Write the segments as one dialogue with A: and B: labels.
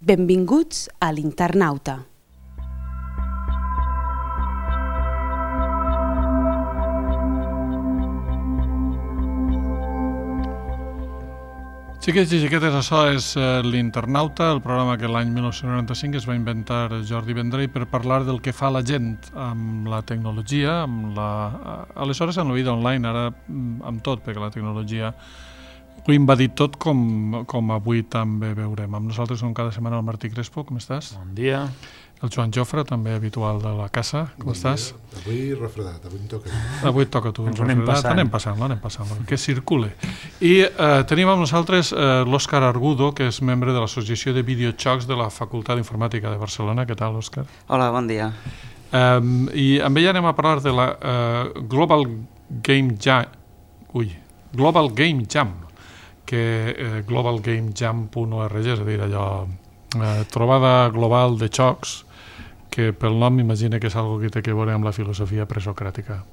A: Benvinguts a l'Internauta.
B: Xiquets i xiquetes, això és l'Internauta, el programa que l'any 1995 es va inventar Jordi Vendrell per parlar del que fa la gent amb la tecnologia, aleshores amb la vida online, ara amb tot, perquè la tecnologia ho ha invadit tot, com avui també veurem. Amb nosaltres com cada setmana el Martí Crespo, com estàs?
C: Bon dia.
B: El Joan Jofre, també habitual de la casa, com estàs?
D: Avui refredat, avui em toca.
B: Avui et toca tu,
C: anem
B: passant, que circule. I tenim amb nosaltres l'Òscar Argudo, que és membre de l'Associació de Videojocs de la Facultat d'Informàtica de Barcelona. Què tal, Òscar?
E: Hola, bon dia.
B: I amb ell anem a parlar de la Global Game Jam, que globalgamejam.org, és a dir, allò, trobada global de jocs, que pel nom m'imagina que és algo que té a veure amb la filosofia presocràtica.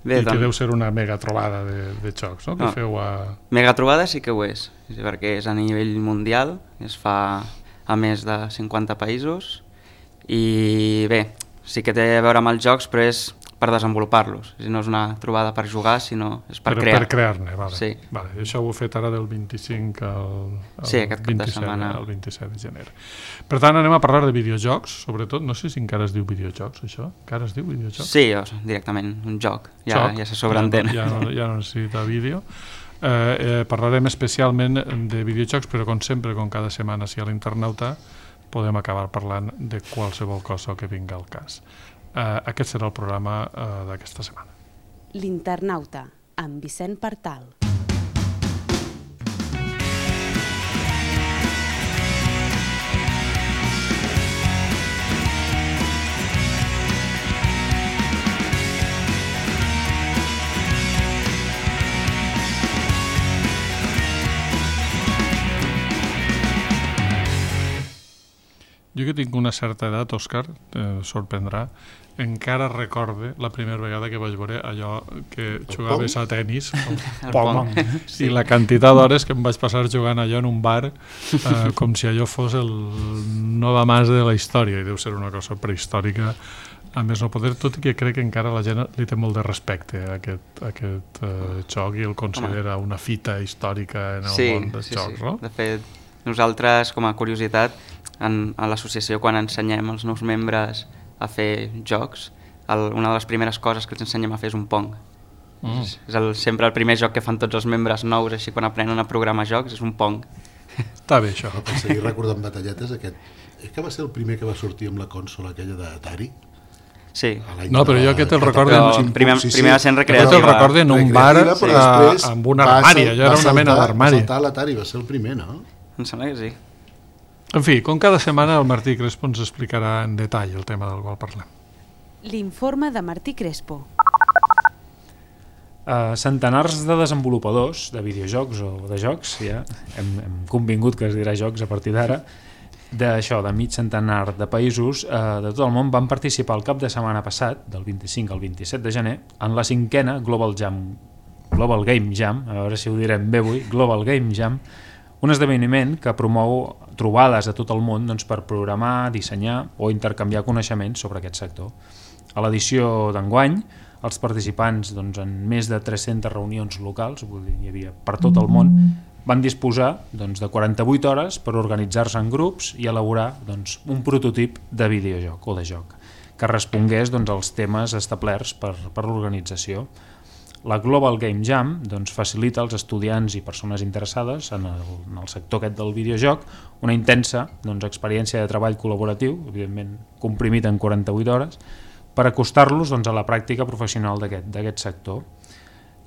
E: Bé,
B: I que deu ser una mega trobada de jocs, no? Que feu a...
E: Mega trobada sí que ho és, perquè és a nivell mundial, es fa a més de 50 països, i bé, sí que té a veure amb els jocs, però és per desenvolupar-los. No és una trobada per jugar, sinó és per crear.
B: Per crear-ne, vale.
E: Sí.
B: Vale. Això ho heu fet ara del 25
E: sí, aquest cap de setmana.
B: Al 27 de gener. Per tant, anem a parlar de videojocs, sobretot. No sé si encara es diu videojocs, això. Encara es diu videojocs?
E: Sí, directament, un joc. Ja se sobreentén.
B: Ja no necessita vídeo. Parlarem especialment de videojocs, però com sempre, com cada setmana, si a l'Internauta, podem acabar parlant de qualsevol cosa que vinga al cas. Aquest serà el programa d'aquesta setmana.
A: L'Internauta, amb Vicent Partal.
B: Jo que tinc una certa edat, Òscar, sorprendrà, encara recorde la primera vegada que vaig veure allò que jugaves a tennis, el pong, i la quantitat d'hores que em vaig passar jugant allò en un bar, com si allò fos el Nova Mas de la història, i deu ser una cosa prehistòrica, a més no poder, tot i que crec que encara la gent li té molt de respecte a aquest joc i el considera una fita històrica en el món dels jocs, no?
E: De fet, nosaltres, com a curiositat, a l'associació, quan ensenyem als nous membres a fer jocs, una de les primeres coses que els ensenyem a fer és un Pong. És sempre el primer joc que fan tots els membres nous, així quan aprenen a programar jocs, és un Pong.
B: Està bé, això.
D: Per seguir recordant batalletes, és que va ser el primer que va sortir amb la consola aquella d'Atari?
E: Sí.
B: No, però jo aquest el recordo...
E: Primer va ser en recreativa.
B: Aquest el recordo en un bar amb una armària, allò era una mena d'armari.
D: Va saltar l'Atari, va ser el primer, no?
E: Em sembla que sí.
B: En fi, com cada setmana el Martí Crespo ens explicarà en detall el tema del qual parlem.
A: L'informe de Martí Crespo.
C: Centenars de desenvolupadors de videojocs o de jocs, ja hem convingut que es dirà jocs a partir d'ara, de mig centenar de països de tot el món van participar el cap de setmana passat, del 25 al 27 de gener, en la 5a Global Game Jam, a veure si ho direm bé avui, Global Game Jam, un esdeveniment que promou trobades a tot el món per programar, dissenyar o intercanviar coneixements sobre aquest sector. A l'edició d'enguany, els participants en més de 300 reunions locals, hi havia per tot el món, van disposar de 48 hores per organitzar-se en grups i elaborar un prototip de videojoc o de joc que respongués als temes establerts per l'organització. La Global Game Jam facilita als estudiants i persones interessades en el sector aquest del videojoc una intensa experiència de treball col·laboratiu, evidentment comprimit en 48 hores, per acostar-los a la pràctica professional d'aquest sector.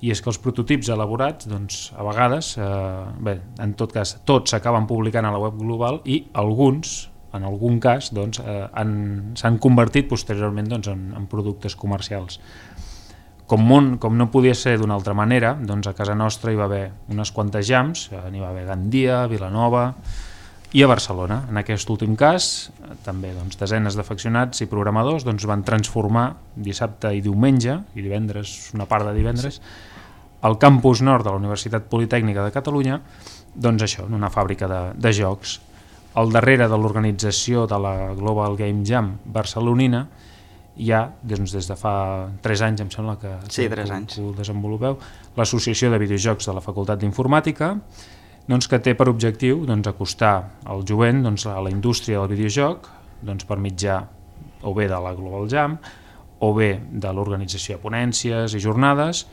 C: I és que els prototips elaborats, a vegades, en tot cas, tots s'acaben publicant a la web global i alguns, en algun cas, s'han convertit posteriorment en productes comercials. Com no podia ser d'una altra manera, a casa nostra hi va haver unes quantes jams, n'hi va haver a Gandia, a Vilanova i a Barcelona. En aquest últim cas, també desenes d'afeccionats i programadors van transformar dissabte i diumenge, i divendres, una part de divendres, al campus nord de la Universitat Politècnica de Catalunya, doncs això, en una fàbrica de jocs. Al darrere de l'organització de la Global Game Jam barcelonina hi ha, doncs, des de fa 3 anys, em sembla que,
E: sí, 3 anys.
C: Que ho desenvolupeu, l'Associació de Videojocs de la Facultat d'Informàtica, doncs, que té per objectiu, doncs, acostar el jovent, doncs, a la indústria del videojoc, doncs, per mitjà o bé de la Global Jam o bé de l'organització de ponències i jornades,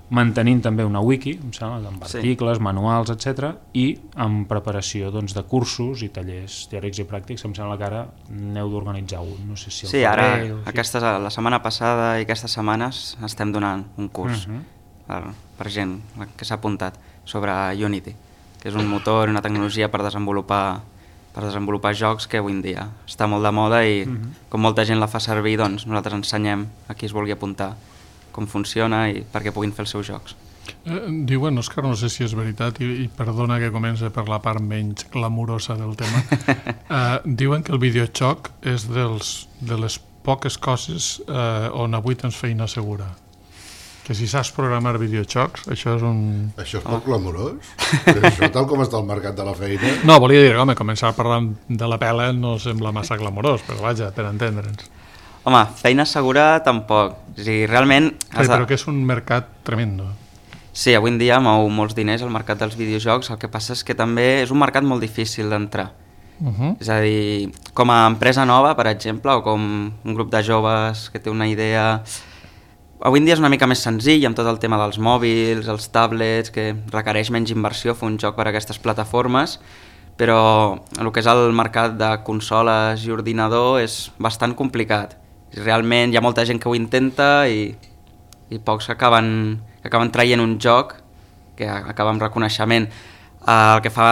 C: mantenint també una wiki, em sembla, amb articles, manuals, etc. I amb preparació, doncs, de cursos i tallers teòrics i pràctics. Em sembla que ara n'heu d'organitzar un. No sé si
E: sí, ara, la setmana passada i aquestes setmanes estem donant un curs per gent que s'ha apuntat sobre Unity, que és un motor, una tecnologia per desenvolupar jocs que avui en dia està molt de moda i com molta gent la fa servir, doncs nosaltres ensenyem a qui es vulgui apuntar com funciona i perquè puguin fer els seus jocs.
B: Diuen, Òscar, no sé si és veritat, i perdona que comença per la part menys glamurosa del tema, diuen que el videojoc és de les poques coses on avui tens feina segura. Que si saps programar videojocs, això és un...
D: Això és poc glamurós? Això tal com està el mercat de la feina...
B: No, volia dir, home, començar parlant de la pela no sembla massa glamurós, però vaja, per entendre'ns.
E: Home, feina segura tampoc. O sigui, realment...
B: Però que és un mercat tremendo.
E: Sí, avui en dia mou molts diners el mercat dels videojocs, el que passa és que també és un mercat molt difícil d'entrar. És a dir, com a empresa nova, per exemple, o com un grup de joves que té una idea... Avui en dia és una mica més senzill, amb tot el tema dels mòbils, els tablets, que requereix menys inversió fer un joc per a aquestes plataformes, però el que és el mercat de consoles i ordinador és bastant complicat. Realment hi ha molta gent que ho intenta i pocs que acaben traient un joc que acaba amb reconeixement. El que fa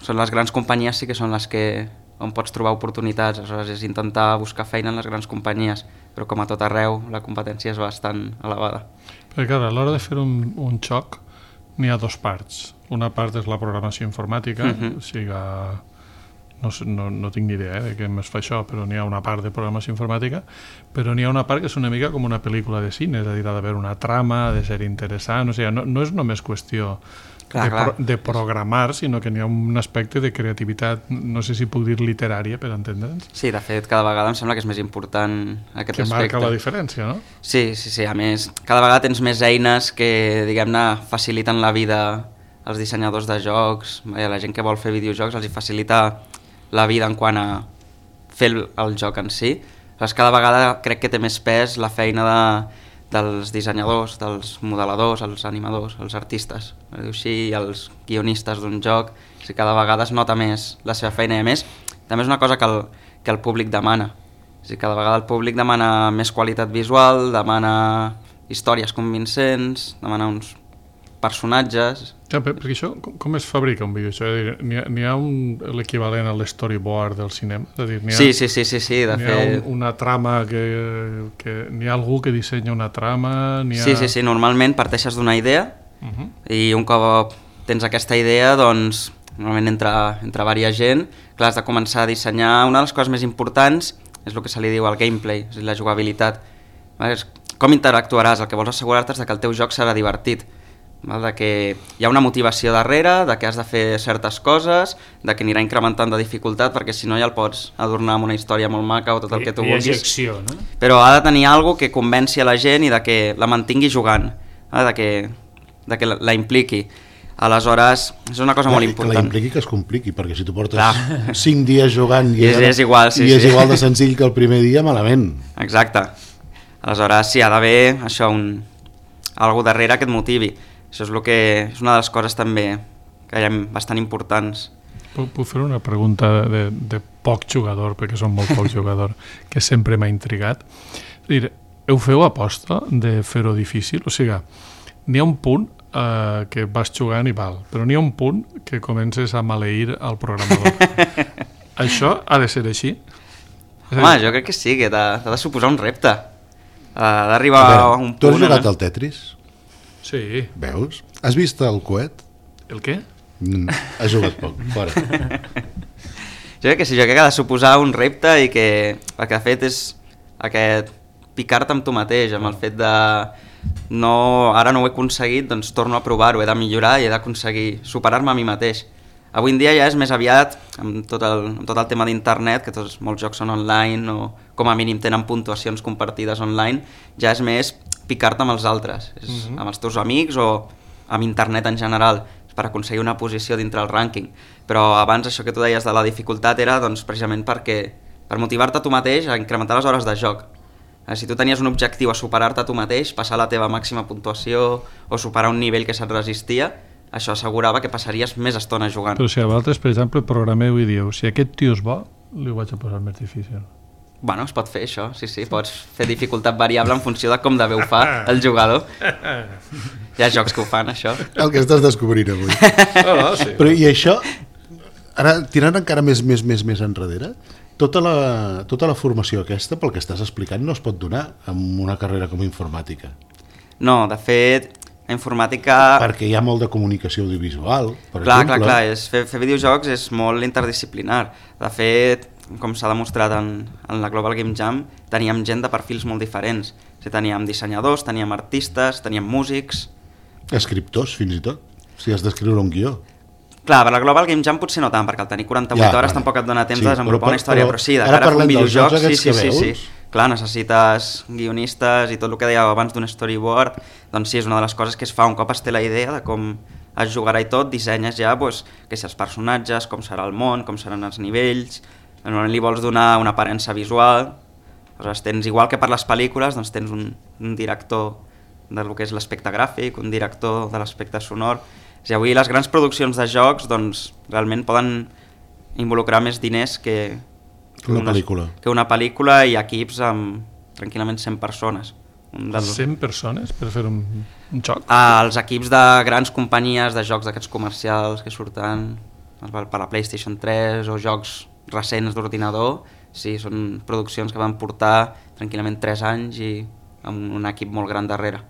E: són les grans companyies, sí que són les que on pots trobar oportunitats, aleshores és intentar buscar feina en les grans companyies, però com a tot arreu la competència és bastant elevada.
B: Perquè clar, a l'hora de fer un joc n'hi ha 2 parts. Una part és la programació informàtica, o sigui, no tinc ni idea de què es fa això, però n'hi ha una part de programació informàtica, però n'hi ha una part que és una mica com una pel·lícula de cine, és a dir, ha d'haver una trama, ha de ser interessant, o sigui, no és només qüestió de programar, sinó que n'hi ha un aspecte de creativitat, no sé si puc dir literària, per entendre'ns.
E: Sí, de fet, cada vegada em sembla que és més important aquest aspecte.
B: Que marca la diferència, no?
E: Sí, a més, cada vegada tens més eines que, diguem-ne, faciliten la vida als dissenyadors de jocs, la gent que vol fer videojocs els hi facilita la vida en quant a fer el joc en si. Cada vegada crec que té més pes la feina dels dissenyadors, dels modeladors, els animadors, els artistes, així, els guionistes d'un joc. Cada vegada es nota més la seva feina i a més també és una cosa que el públic demana. Cada vegada el públic demana més qualitat visual, demana històries convincents, demana uns personatges...
B: Ja, perquè això, com es fabrica un videojoc? N'hi ha l'equivalent a l'storyboard del cinema? És a dir,
E: sí, de fet...
B: N'hi ha una trama n'hi ha algú que dissenya una trama?
E: Sí, normalment parteixes d'una idea i un cop tens aquesta idea, doncs, normalment entre varia gent, clar, has de començar a dissenyar. Una de les coses més importants és el que se li diu el gameplay, és la jugabilitat. Com interactuaràs? El que vols assegurar-te és que el teu joc serà divertit, de que hi ha una motivació darrere, de que has de fer certes coses, de que anirà incrementant de dificultat, perquè si no ja el pots adornar amb una història molt maca o tot el que tu vulguis.
C: Hi hagi acció, no?
E: Però ha de tenir alguna que convenci a la gent i de que la mantingui jugant, de que la impliqui. Aleshores, és una cosa molt important.
D: Que la impliqui, que es compliqui, perquè si tu portes 5 dies jugant i
E: és igual,
D: és igual de senzill que el primer dia, malament.
E: Exacte. Aleshores, sí, ha d'haver això, algú darrere que et motivi. Això és una de les coses també que hi ha bastant importants.
B: Puc fer una pregunta de poc jugador, perquè som molt poc jugador, que sempre m'ha intrigat. És dir, heu feu aposta de fer-ho difícil? O sigui, n'hi ha un punt que vas jugant i val, però n'hi ha un punt que comences a maleir al programador. Això ha de ser així?
E: Home, jo crec que sí, que t'ha de suposar un repte. Ha d'arribar a un punt...
D: Tu has jugat al Tetris?
B: Sí.
D: Veus? Has vist el coet?
B: El què?
D: Has jugat poc, fora.
E: Jo crec que sí, jo crec que ha de suposar un repte i que el que ha fet és aquest picar-te amb tu mateix, amb el fet de ara no ho he aconseguit, doncs torno a provar-ho, he de millorar i he d'aconseguir superar-me a mi mateix. Avui en dia ja és més aviat, amb tot el tema d'internet, que molts jocs són online o com a mínim tenen puntuacions compartides online, ja és més picar-te amb els altres, amb els teus amics o amb internet en general, per aconseguir una posició dintre el rànquing. Però abans això que tu deies de la dificultat era doncs, precisament per motivar-te a tu mateix a incrementar les hores de joc. Si tu tenies un objectiu a superar-te a tu mateix, passar la teva màxima puntuació o superar un nivell que se't resistia, això assegurava que passaries més estona jugant.
B: Però si a vosaltres, per exemple, programeu i dieu si aquest tio és bo, li ho vaig a posar més difícil.
E: Bueno, es pot fer això, sí, pots fer dificultat variable en funció de com de bé ho fa el jugador. Hi ha jocs que ho fan, això.
D: El que estàs descobrint avui.
B: Sí.
D: Però i això, ara tirant encara més enrere, tota la formació aquesta, pel que estàs explicant, no es pot donar en una carrera com informàtica.
E: No, de fet, la informàtica...
D: Perquè hi ha molt de comunicació audiovisual, per exemple.
E: Clar, fer videojocs és molt interdisciplinar. De fet, com s'ha demostrat en la Global Game Jam, teníem gent de perfils molt diferents. Teníem dissenyadors, teníem artistes, teníem músics...
D: Escriptors, fins i tot, si has d'escriure un guió.
E: Clar, per la Global Game Jam potser no tant, perquè al tenir 48 hores tampoc et dona temps de desenvolupar una història, però sí, de cara a fer un videojoc, sí. Clar, necessites guionistes i tot el que dèieu abans d'un storyboard, doncs sí, és una de les coses que es fa un cop es té la idea de com es jugarà i tot, dissenyes ja que si els personatges, com serà el món, com seran els nivells, normalment li vols donar una aparença visual, aleshores tens, igual que per les pel·lícules, doncs tens un director del que és l'aspecte gràfic, un director de l'aspecte sonor. I avui les grans produccions de jocs doncs, realment poden involucrar més diners que una pel·lícula i equips amb tranquil·lament 100 persones.
B: 100 persones per fer un joc?
E: Els equips de grans companyies de jocs d'aquests comercials que surten per la PlayStation 3 o jocs recents d'ordinador, sí, són produccions que van portar tranquil·lament 3 anys i amb un equip molt gran darrere.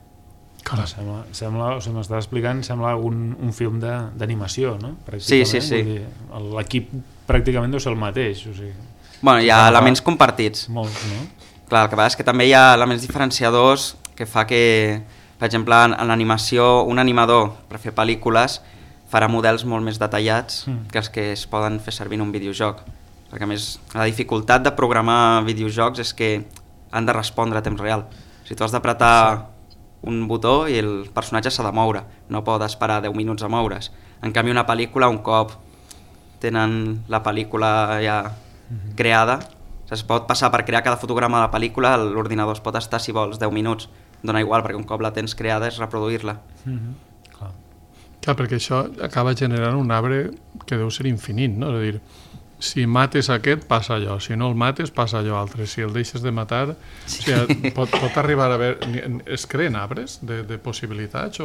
C: Sembla, o sigui, m'estàs explicant, sembla un film d'animació, no?
E: Sí.
C: L'equip pràcticament deu ser el mateix. O sigui,
E: bueno, hi ha elements compartits.
C: Molts, no?
E: Clar, el que passa és que també hi ha elements diferenciadors que fa que, per exemple, en l'animació, un animador per fer pel·lícules farà models molt més detallats que els que es poden fer servir en un videojoc. Perquè a més, la dificultat de programar videojocs és que han de respondre a temps real. Si tu has d'apretar un botó i el personatge s'ha de moure, no pot esperar 10 minuts a moure's. En canvi, una pel·lícula, un cop tenen la pel·lícula ja creada, es pot passar per crear cada fotograma de la pel·lícula, l'ordinador es pot estar, si vols, 10 minuts. Dona igual, perquè un cop la tens creada és reproduir-la.
B: Clar, perquè això acaba generant un arbre que deu ser infinit, no? És a dir, si mates aquest, passa allò. Si no el mates, passa allò altre. Si el deixes de matar... Sí. O sigui, pot arribar a haver... Es creen arbres de possibilitats?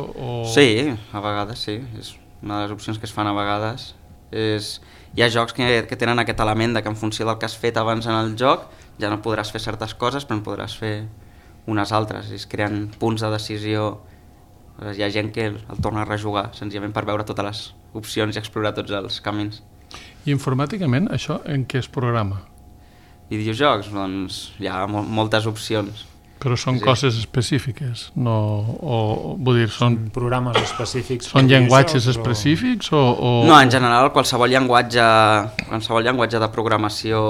E: Sí, a vegades sí. És una de les opcions que es fan a vegades. Hi ha jocs que tenen aquest element de que en funció del que has fet abans en el joc ja no podràs fer certes coses, però en podràs fer unes altres. Es creen punts de decisió. Hi ha gent que el torna a rejugar, senzillament per veure totes les opcions i explorar tots els camins.
B: I informàticament, això en què es programa?
E: Videojocs? Doncs hi ha moltes opcions.
B: Però són coses específiques? No, vull dir, són
C: programes específics?
B: Són llenguatges específics?
E: No, en general, qualsevol llenguatge de programació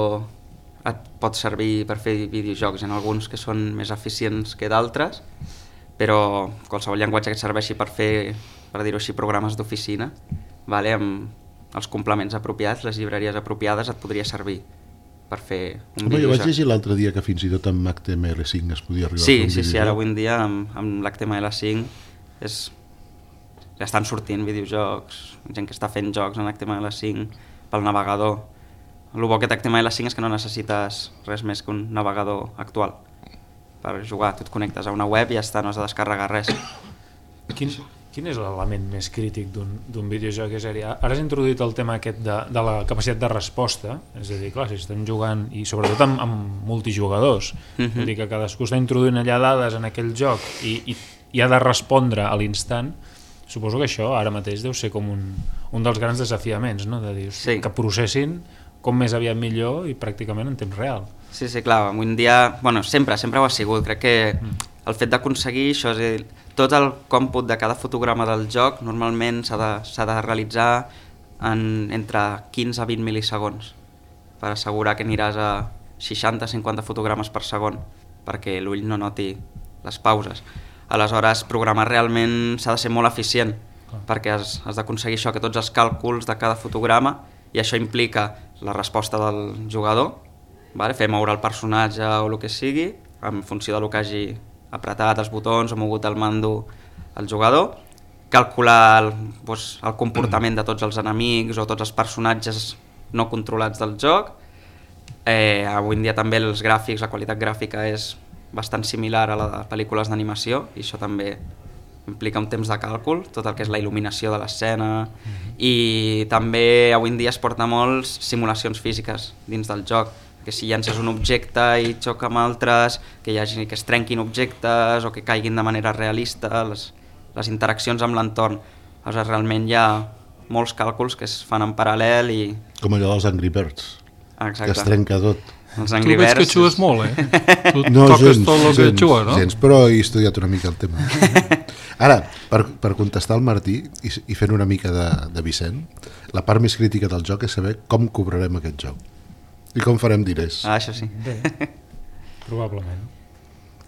E: et pot servir per fer videojocs. Hi ha alguns que són més eficients que d'altres, però qualsevol llenguatge que et serveixi per fer, per dir-ho així, programes d'oficina, amb els complements apropiats, les llibreries apropiades, et podria servir per fer un videojoc.
D: Jo vaig llegir l'altre dia que fins i tot amb HTML5 es podia arribar a fer un videojoc.
E: Sí, ara avui en dia amb l'HTML5 ja estan sortint videojocs, gent que està fent jocs en HTML5 pel navegador. El bo que té HTML5 és que no necessites res més que un navegador actual per jugar. Tu et connectes a una web i ja està, no has de descarregar res.
C: Quin és l'element més crític d'un videojoc? És a dir, ara has introduït el tema aquest de la capacitat de resposta, és a dir, clar, si estem jugant, i sobretot amb multijugadors, vull dir que cadascú està introduint allà dades en aquell joc i ha de respondre a l'instant. Suposo que això ara mateix deu ser com un dels grans desafiaments, no? De dir, que processin com més aviat millor i pràcticament en temps real.
E: Sí, clar, avui en dia, sempre ho ha sigut. Crec que el fet d'aconseguir això, és a dir, tot el còmput de cada fotograma del joc normalment s'ha de realitzar entre 15 a 20 mil·lisegons per assegurar que aniràs a 60-50 fotogrames per segon perquè l'ull no noti les pauses. Aleshores, programar realment s'ha de ser molt eficient perquè has d'aconseguir això, que tots els càlculs de cada fotograma, i això implica la resposta del jugador, fer moure el personatge o el que sigui en funció del que hagi apretat els botons o mogut el mando el jugador, calcular el comportament de tots els enemics o tots els personatges no controlats del joc. Avui en dia també els gràfics, la qualitat gràfica és bastant similar a la de pel·lícules d'animació i això també implica un temps de càlcul, tot el que és la il·luminació de l'escena, i també avui en dia es porta molts simulacions físiques dins del joc, que si llences un objecte i xoca amb altres, que es trenquin objectes o que caiguin de manera realista, les interaccions amb l'entorn. Aleshores, realment hi ha molts càlculs que es fan en paral·lel i...
D: Com allò dels Angry Birds,
E: Exacte.
D: Que es trenca tot.
E: Els Angry
B: Birds... Tu veig que xues molt, Tu toques tot el que xua, no?
D: Gens, però he estudiat una mica el tema. Ara, per contestar al Martí i fent una mica de Vicent, la part més crítica del joc és saber com cobrarem aquest joc i com farem diners.
E: Això sí.
C: Bé, probablement.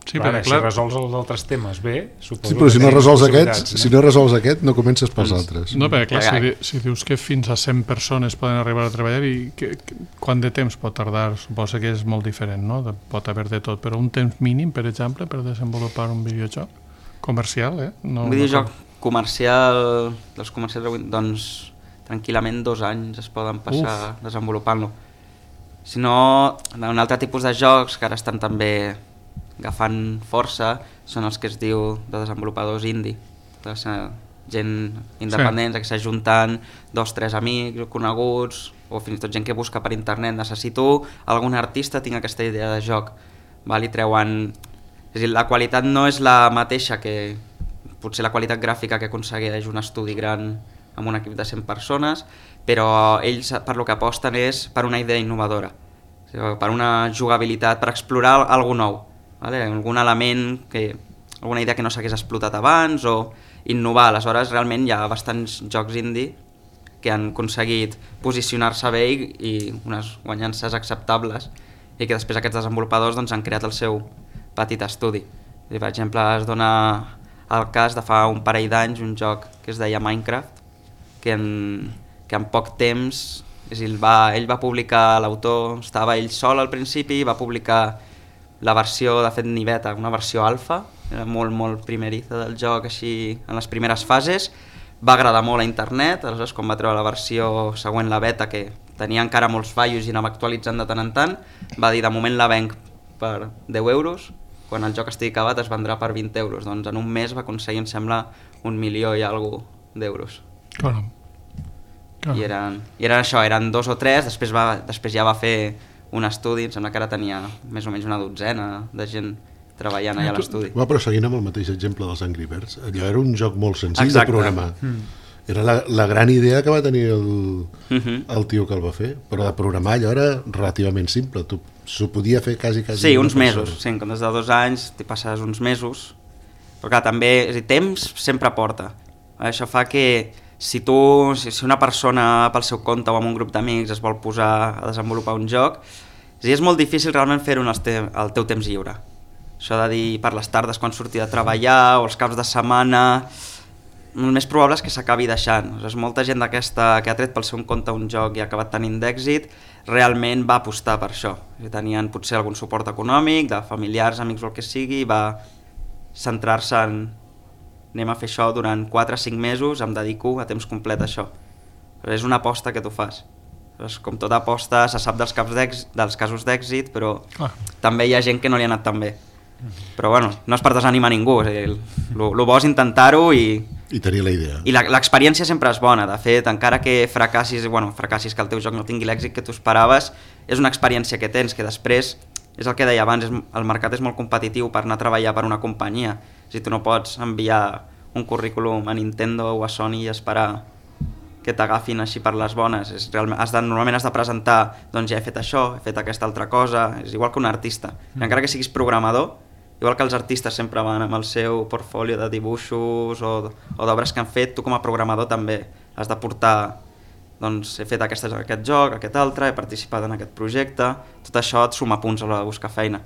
B: Sí,
C: clar, si resols els altres temes bé, suposo.
D: Sí, però si no resols aquest, no comences pels altres.
B: No, perquè clar, si dius que fins a 100 persones poden arribar a treballar, i quant de temps pot tardar? Suposo que és molt diferent, no? Pot haver de tot, però un temps mínim, per exemple, per desenvolupar un videojoc comercial,
E: un videojoc comercial, dels comercials avui, doncs tranquil·lament 2 anys es poden passar desenvolupant-lo. Si no, un altre tipus de jocs que ara estan també agafant força són els que es diu de desenvolupadors indie, gent independents, que s'ajunten 2-3 amics o coneguts o fins i tot gent que busca per internet, necessito algun artista, tinc aquesta idea de joc, i treuen... És a dir, la qualitat no és la mateixa que potser la qualitat gràfica que aconsegueix un estudi gran amb un equip de 100 persones, però ells per lo que aposten és per una idea innovadora, per una jugabilitat, per explorar alguna nou, algun element, alguna idea que no s'hagués explotat abans o innovar. Aleshores realment hi ha bastants jocs indie que han aconseguit posicionar-se bé i unes guanyances acceptables i que després aquests desenvolupadors han creat el seu petit estudi. Per exemple, es dona el cas de fa un parell d'anys un joc que es deia Minecraft, que en poc temps ell va publicar, l'autor estava ell sol al principi, va publicar la versió, de fet ni beta, una versió alfa, era molt, molt primeriza del joc, així en les primeres fases, va agradar molt a internet, aleshores quan va treure la versió següent, la beta, que tenia encara molts fallos i anava actualitzant de tant en tant, va dir de moment la venc per 10 euros, quan el joc estigui acabat es vendrà per 20 euros, doncs en un mes va aconseguir, em sembla, 1 milió i alguna d'euros.
B: Caram.
E: I eren això, eren 2 o 3, després ja va fer un estudi, em sembla que ara tenia més o menys una dotzena de gent treballant allà a l'estudi.
D: Però seguint amb el mateix exemple dels Angry Birds, allò era un joc molt senzill de programar. Era la gran idea que va tenir el tio que el va fer, però de programar allò era relativament simple, s'ho podia fer quasi...
E: Sí, uns mesos, sí, en comptes de 2 anys t'hi passes uns mesos, però clar, també, temps sempre porta. Això fa que si una persona pel seu compte o amb un grup d'amics es vol posar a desenvolupar un joc, és molt difícil realment fer-ho al teu temps lliure. Això de dir per les tardes quan surti de treballar o els caps de setmana, el més probable és que s'acabi deixant. Molta gent d'aquesta que ha tret pel seu compte un joc i ha acabat tenint d'èxit realment va apostar per això. Tenien potser algun suport econòmic, de familiars, amics o el que sigui, i va centrar-se en anem a fer això durant 4 o 5 mesos, em dedico a temps complet a això. És una aposta que tu fas. Com tota aposta, se sap dels casos d'èxit, però també hi ha gent que no li ha anat tan bé. Però bueno, no és per desanimar ningú, el bo és intentar-ho i
D: tenir la idea.
E: I l'experiència sempre és bona. De fet, encara que fracassis, que el teu joc no tingui l'èxit que tu esperaves, és una experiència que tens, que després, és el que deia abans, el mercat és molt competitiu per anar a treballar per una companyia. Si tu no pots enviar un currículum a Nintendo o a Sony i esperar que t'agafin així per les bones. Normalment has de presentar, doncs ja he fet això, he fet aquesta altra cosa, és igual que un artista. Encara que siguis programador, igual que els artistes sempre van amb el seu portfolio de dibuixos o d'obres que han fet, tu com a programador també has de portar, doncs he fet aquest joc, aquest altre, he participat en aquest projecte, tot això et suma punts a l'hora de buscar feina.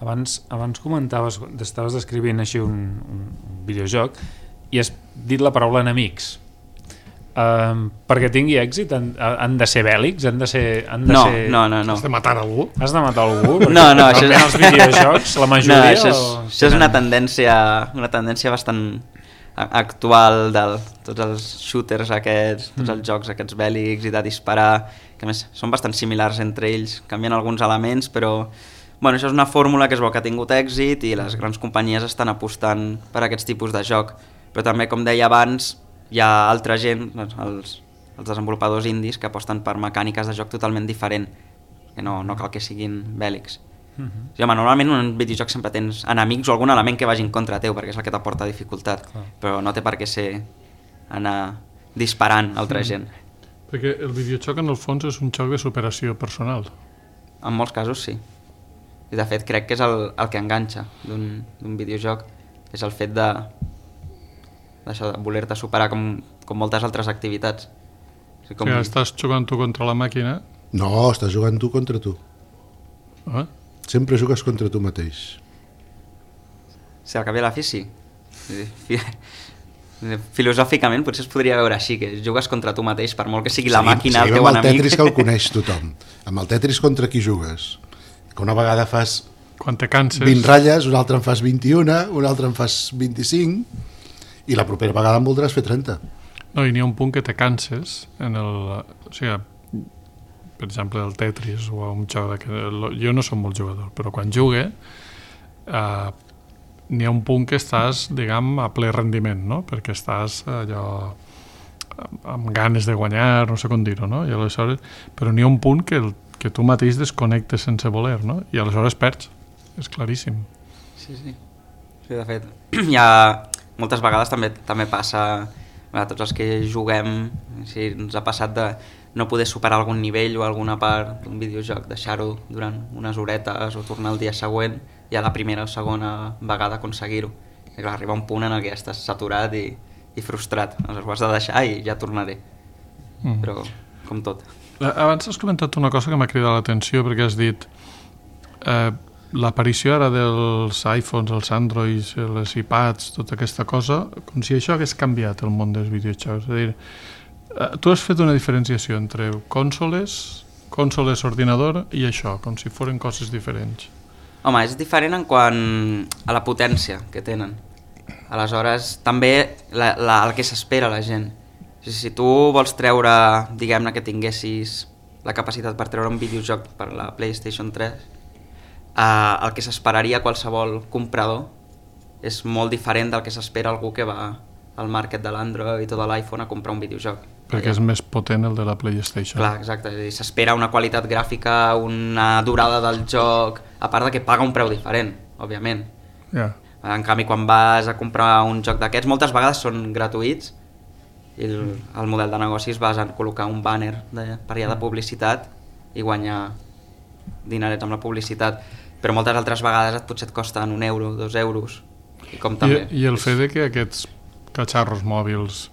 C: Abans comentaves, estaves descrivint així un videojoc i has dit la paraula enemics. Perquè tingui èxit han de ser bèl·lics?
E: No.
B: Has de matar algú?
C: Has de matar algú?
E: No, això
C: és... els videojocs, la majoria...
E: No, això és una tendència bastant actual de tots els shooters aquests, tots els jocs aquests bèl·lics i de disparar, que a més són bastant similars entre ells, canvien alguns elements, però bueno, això és una fórmula que es veu que ha tingut èxit i les grans companyies estan apostant per aquests tipus de joc. Però també, com deia abans, hi ha altra gent, els desenvolupadors indis, que aposten per mecàniques de joc totalment diferent, que no cal que siguin bèl·lics. Sí, home, normalment en un videojoc sempre tens enemics o algun element que vagi en contra teu, perquè és el que t'aporta dificultat, però no té per què ser anar disparant altra gent.
B: Perquè el videojoc en el fons és un joc de superació personal.
E: En molts casos sí. I de fet crec que és el que enganxa d'un videojoc, és el fet de voler-te superar com moltes altres activitats.
B: O sigui, estàs jugant tu contra la màquina?
D: No, estàs jugant tu contra tu. Sempre jugues contra tu mateix.
E: Si al cap i a la fi sí. Filosòficament potser es podria veure així, que jugues contra tu mateix, per molt que sigui la màquina el teu enemic.
D: Amb el Tetris que el coneix tothom. Amb el Tetris contra qui jugues? Que una vegada fas
B: quan te canses
D: 20 ratlles, una altra en fas 21, una altra en fas 25 i la propera vegada en voldràs fer 30.
B: No, i n'hi ha un punt que te canses o sigui, per exemple el Tetris o un joc jo no soc molt jugador, però quan jugue n'hi ha un punt que estàs, diguem, a ple rendiment, no? Perquè estàs allò amb ganes de guanyar, no sé com dir-ho, no? I aleshores, però n'hi ha un punt que tu mateix desconnectes sense voler, no? I aleshores perds, és claríssim.
E: Sí, de fet, hi ha moltes vegades també passa a tots els que juguem, si ens ha passat de no poder superar algun nivell o alguna part d'un videojoc, deixar-ho durant unes horetes o tornar el dia següent i a la primera o segona vegada aconseguir-ho. I clar, arriba un punt en què estàs saturat i frustrat, aleshores ho has de deixar i ja tornaré. Però com tot.
B: Abans has comentat una cosa que m'ha cridat l'atenció, perquè has dit l'aparició ara dels iPhones, els Androids, les iPads, tota aquesta cosa, com si això hagués canviat el món dels videojocs. És a dir, tu has fet una diferenciació entre consoles, ordinador i això, com si foren coses diferents.
E: Home, és diferent en quant a la potència que tenen. Aleshores, també el que s'espera la gent. Si tu vols treure, diguem-ne que tinguessis la capacitat per treure un videojoc per la PlayStation 3, el que s'esperaria qualsevol comprador és molt diferent del que s'espera algú que va al market de l'Android o de l'iPhone a comprar un videojoc.
B: Perquè és més potent el de la PlayStation.
E: Clar, exacte. S'espera una qualitat gràfica, una durada del joc, a part de que paga un preu diferent, òbviament.
B: Yeah.
E: En canvi, quan vas a comprar un joc d'aquests, moltes vegades són gratuïts i el model de negoci es basa en col·locar un banner per allà de publicitat i guanyar dinerets amb la publicitat, però moltes altres vegades potser et costen €1, €2 i com també.
B: I el fet de que aquests catxarros mòbils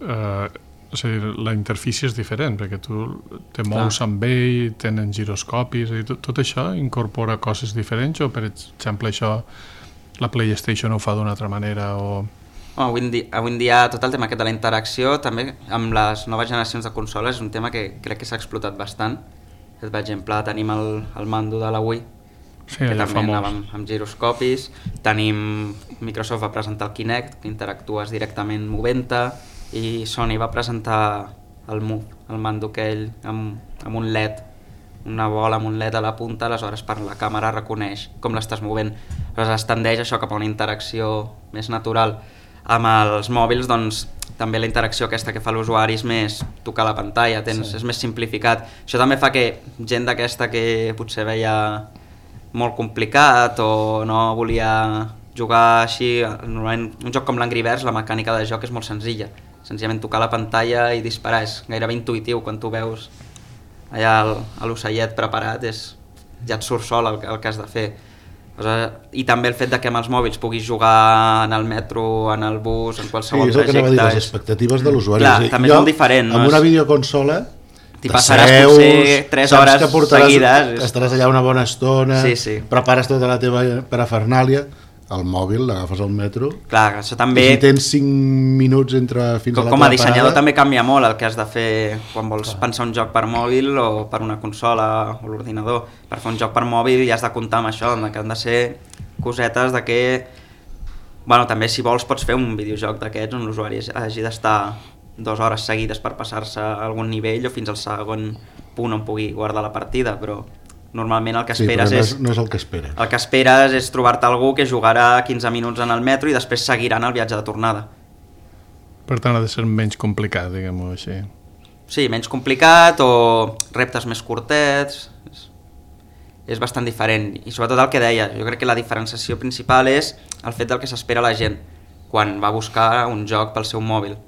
B: o sigui, la interfície és diferent, perquè tu te mous amb ell, tenen giroscopis, tot això incorpora coses diferents o, per exemple, això la PlayStation ho fa d'una altra manera o...
E: Avui en dia tot el tema aquest de la interacció també amb les noves generacions de consoles és un tema que crec que s'ha explotat bastant. Per exemple, tenim el mando de la Wii, que també anava amb giroscopis. Microsoft va presentar el Kinect, que interactues directament movent-te, i Sony va presentar el Move, el mando aquell amb un LED, una bola amb un LED a la punta, aleshores per la càmera reconeix com l'estàs movent. Aleshores es tendeix això cap a una interacció més natural. Amb els mòbils, doncs, també la interacció aquesta que fa l'usuari és més tocar la pantalla, és més simplificat. Això també fa que gent d'aquesta que potser veia molt complicat o no volia jugar així, normalment un joc com l'Angry Birds, la mecànica de joc és molt senzilla. senzillament tocar la pantalla i disparar, és gairebé intuïtiu quan tu veus allà l'ocellet preparat, ja et surt sol el que has de fer. I també el fet de que amb els mòbils puguis jugar en el metro, en el bus, en qualsevol trajecte.
D: Sí, és el que anava a dir, les expectatives de l'usuari.
E: Clar, també és molt diferent.
D: Amb una videoconsola
E: t'hi passaràs potser 3 hores seguides.
D: Estaràs allà una bona estona,
E: sí.
D: prepares tota la teva parafernàlia, el mòbil, l'agafes al metro.
E: Clar, això també...
D: Si tens 5 minuts fins a la teva parada...
E: Com a dissenyador també canvia molt el que has de fer quan vols pensar un joc per mòbil o per una consola o l'ordinador. Per fer un joc per mòbil ja has de comptar amb això, que han de ser cosetes de que... Bueno, també si vols pots fer un videojoc d'aquests on l'usuari hagi d'estar 2 hores seguides per passar-se a algun nivell o fins al segon punt on pugui guardar la partida, però... Normalment el que esperes
D: no és el que esperes.
E: El que esperes és trobar-te algú que jugarà 15 minuts en el metro i després seguiran el viatge de tornada.
B: Per tant, ha de ser menys complicat, diguem-ho així.
E: Sí, menys complicat o reptes més curtets. És bastant diferent. I sobretot el que deia, jo crec que la diferenciació principal és el fet del que s'espera la gent quan va a buscar un joc pel seu mòbil.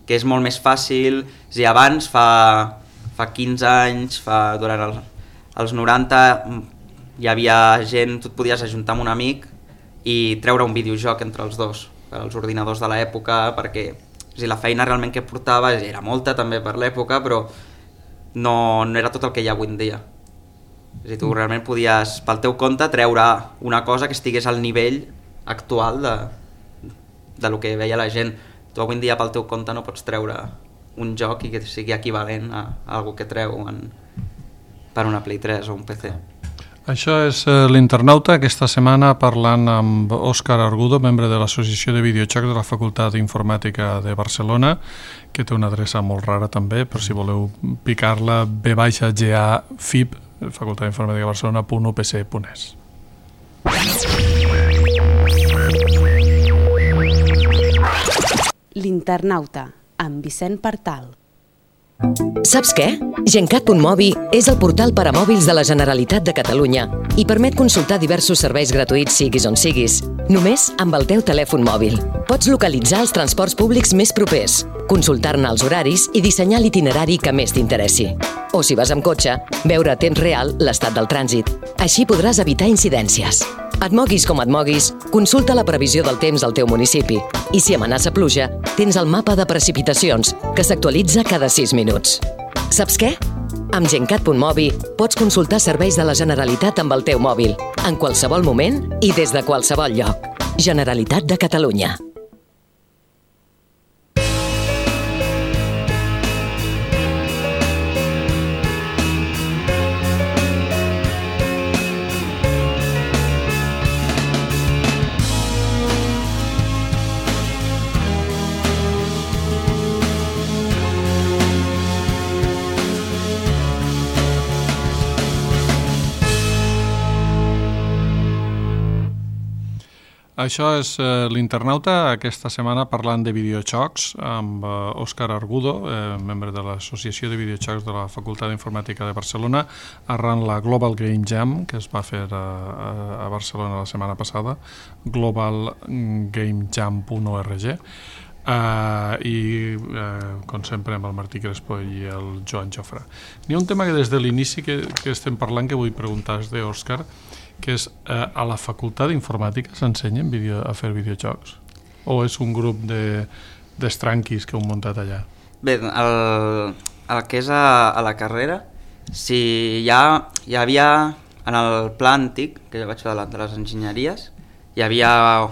E: Que és molt més fàcil, si abans, fa 15 anys, durant als 90 hi havia gent, tu et podies ajuntar amb un amic i treure un videojoc entre els dos, els ordinadors de l'època, perquè la feina realment que portava era molta també per l'època, però no era tot el que hi ha avui en dia. És a dir, tu realment podies, pel teu compte, treure una cosa que estigués al nivell actual de lo que veia la gent. Tu avui en dia pel teu compte no pots treure un joc i que sigui equivalent a algo que treu per una Play 3 o un PC.
B: Això és l'Internauta, aquesta setmana parlant amb Òscar Argudo, membre de l'Associació de Videojocs de la Facultat d'Informàtica de Barcelona, que té una adreça molt rara també, per si voleu picar-la, b-ga-fib, Facultat d'Informàtica de Barcelona.upc.es.
A: L'Internauta, amb Vicent Partal.
F: Saps què? Gencat.mobi és el portal per a mòbils de la Generalitat de Catalunya i permet consultar diversos serveis gratuïts siguis on siguis, només amb el teu telèfon mòbil. Pots localitzar els transports públics més propers, consultar-ne els horaris i dissenyar l'itinerari que més t'interessi. O si vas amb cotxe, veure a temps real l'estat del trànsit. Així podràs evitar incidències. Et moguis com et moguis, consulta la previsió del temps al teu municipi. I si amenaça pluja, tens el mapa de precipitacions, que s'actualitza cada 6 minuts. Saps què? Amb Gencat.mobi pots consultar serveis de la Generalitat amb el teu mòbil, en qualsevol moment i des de qualsevol lloc. Generalitat de Catalunya.
B: Això és l'Internauta, aquesta setmana parlant de videojocs amb Òscar Argudo, membre de l'Associació de Videojocs de la Facultat d'Informàtica de Barcelona, arran la Global Game Jam, que es va fer a Barcelona la setmana passada, globalgamejam.org, i com sempre amb el Martí Crespo i el Joan Jofre. Hi ha un tema que des de l'inici que estem parlant que vull preguntar d'Òscar, que és a la Facultat d'Informàtica s'ensenyen a fer videojocs? O és un grup d'estranquis que heu muntat allà?
E: Bé, el que és a la carrera, si hi havia en el pla antic, que jo vaig fer de les enginyeries, hi havia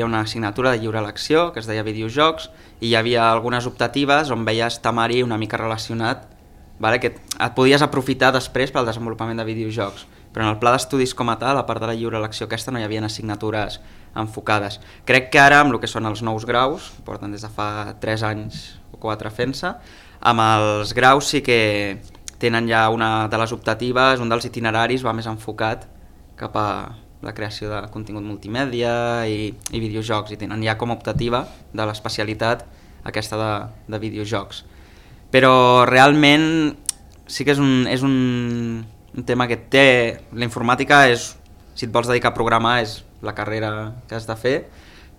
E: una assignatura de lliure elecció que es deia videojocs i hi havia algunes optatives on veies temari una mica relacionat, que et podies aprofitar després pel desenvolupament de videojocs. Però en el pla d'estudis com a tal, a part de la lliure elecció aquesta, no hi havia assignatures enfocades. Crec que ara, amb el que són els nous graus, porten des de fa 3 anys o 4 fent-se, amb els graus sí que tenen ja una de les optatives, un dels itineraris va més enfocat cap a la creació de contingut multimèdia i videojocs, i tenen ja com a optativa de l'especialitat aquesta de videojocs. Però realment sí que és un tema que té... La informàtica és, si et vols dedicar a programar, és la carrera que has de fer,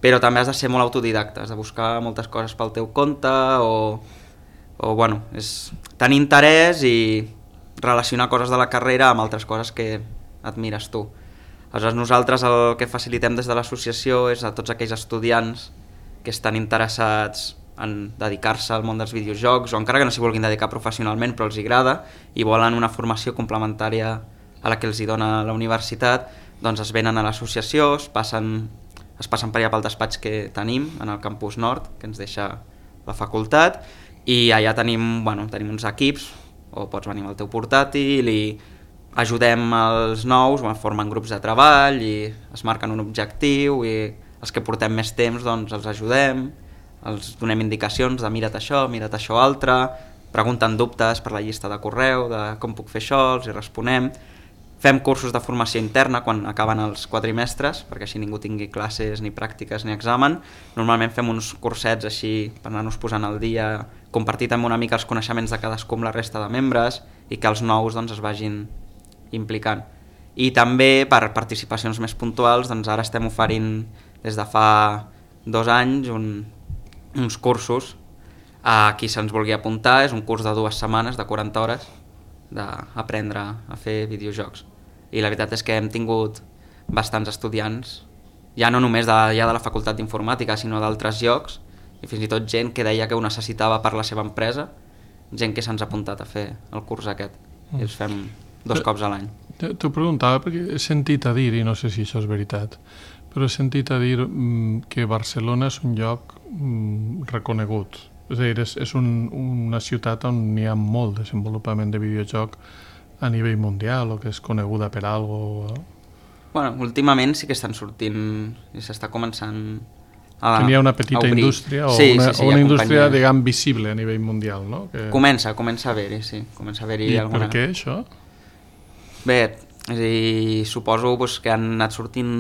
E: però també has de ser molt autodidacta, has de buscar moltes coses pel teu compte o bueno, és tenir interès i relacionar coses de la carrera amb altres coses que admires tu. Aleshores, nosaltres el que facilitem des de l'associació és a tots aquells estudiants que estan interessats en dedicar-se al món dels videojocs, o encara que no s'hi vulguin dedicar professionalment però els agrada i volen una formació complementària a la que els hi dona la universitat, doncs es venen a l'associació, es passen per allà pel despatx que tenim en el campus nord, que ens deixa la facultat, i allà tenim uns equips, o pots venir amb el teu portàtil i ajudem els nous, formen grups de treball i es marquen un objectiu i els que portem més temps doncs els ajudem, els donem indicacions de mira't això altre, pregunten dubtes per la llista de correu de com puc fer això, els hi responem. Fem cursos de formació interna quan acaben els quadrimestres, perquè així ningú tingui classes, ni pràctiques, ni examen. Normalment fem uns cursets així per anar-nos posant al dia, compartir també una mica els coneixements de cadascú amb la resta de membres i que els nous doncs, es vagin implicant. I també per participacions més puntuals, doncs ara estem oferint des de fa 2 anys uns cursos a qui se'ns vulgui apuntar. És un curs de 2 setmanes, de 40 hores, d'aprendre a fer videojocs. I la veritat és que hem tingut bastants estudiants, ja no només de la facultat d'informàtica, sinó d'altres llocs, i fins i tot gent que deia que ho necessitava per la seva empresa, gent que se'ns ha apuntat a fer el curs aquest. I els fem 2 cops a l'any.
B: T'ho preguntava perquè he sentit a dir, i no sé si això és veritat, però he sentit a dir que Barcelona és un lloc reconegut. És a dir, és una ciutat on hi ha molt desenvolupament de videojoc a nivell mundial o que és coneguda per algo.
E: Bueno, últimament sí que estan sortint i s'està començant a
B: obrir. Hi ha una petita indústria o una indústria, diguem, visible a nivell mundial, no? Que... Comença
E: a haver-hi, sí. Comença a haver-hi
B: alguna... I per què això?
E: Bé, és a dir, suposo que han anat sortint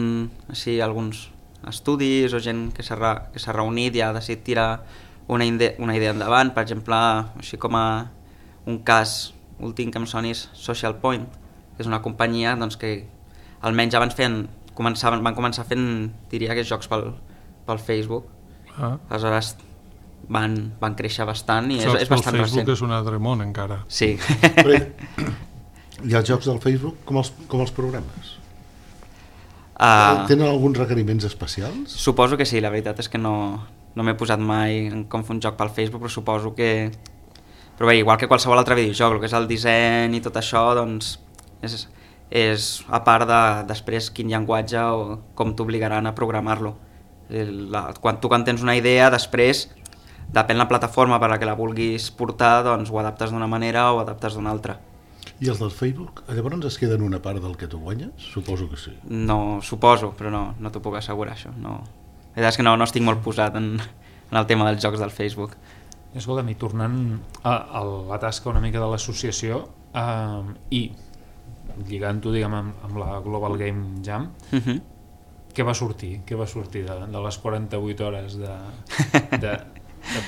E: així alguns estudis o gent que s'ha reunit i ha decidit tirar una idea endavant. Per exemple, així com a un cas últim que em soni és Social Point, que és una companyia doncs, que almenys abans van començar fent, diria que jocs pel Facebook. Aleshores van créixer bastant i és bastant recent.
B: Facebook és un altre món encara.
E: Sí.
D: Però i els jocs del Facebook com els programes? Tenen alguns requeriments especials?
E: Suposo que sí, la veritat és que no m'he posat mai en com fer un joc pel Facebook, però suposo que... Però bé, igual que qualsevol altre videojoc, el que és el disseny i tot això, doncs és a part de després quin llenguatge o com t'obligaran a programar-lo. Quan tu tens una idea, després, depèn la plataforma per a la que la vulguis portar, doncs ho adaptes d'una manera o adaptes d'una altra.
D: I els del Facebook, llavors es queden una part del que tu guanyes? Suposo que sí.
E: No, suposo, però no t'ho puc assegurar, això. La veritat és que no estic molt posat en el tema dels jocs del Facebook.
C: Escolta'm, i tornant a la tasca una mica de l'associació i lligant-ho, diguem, amb la Global Game Jam, què va sortir? Què va sortir de les 48 hores de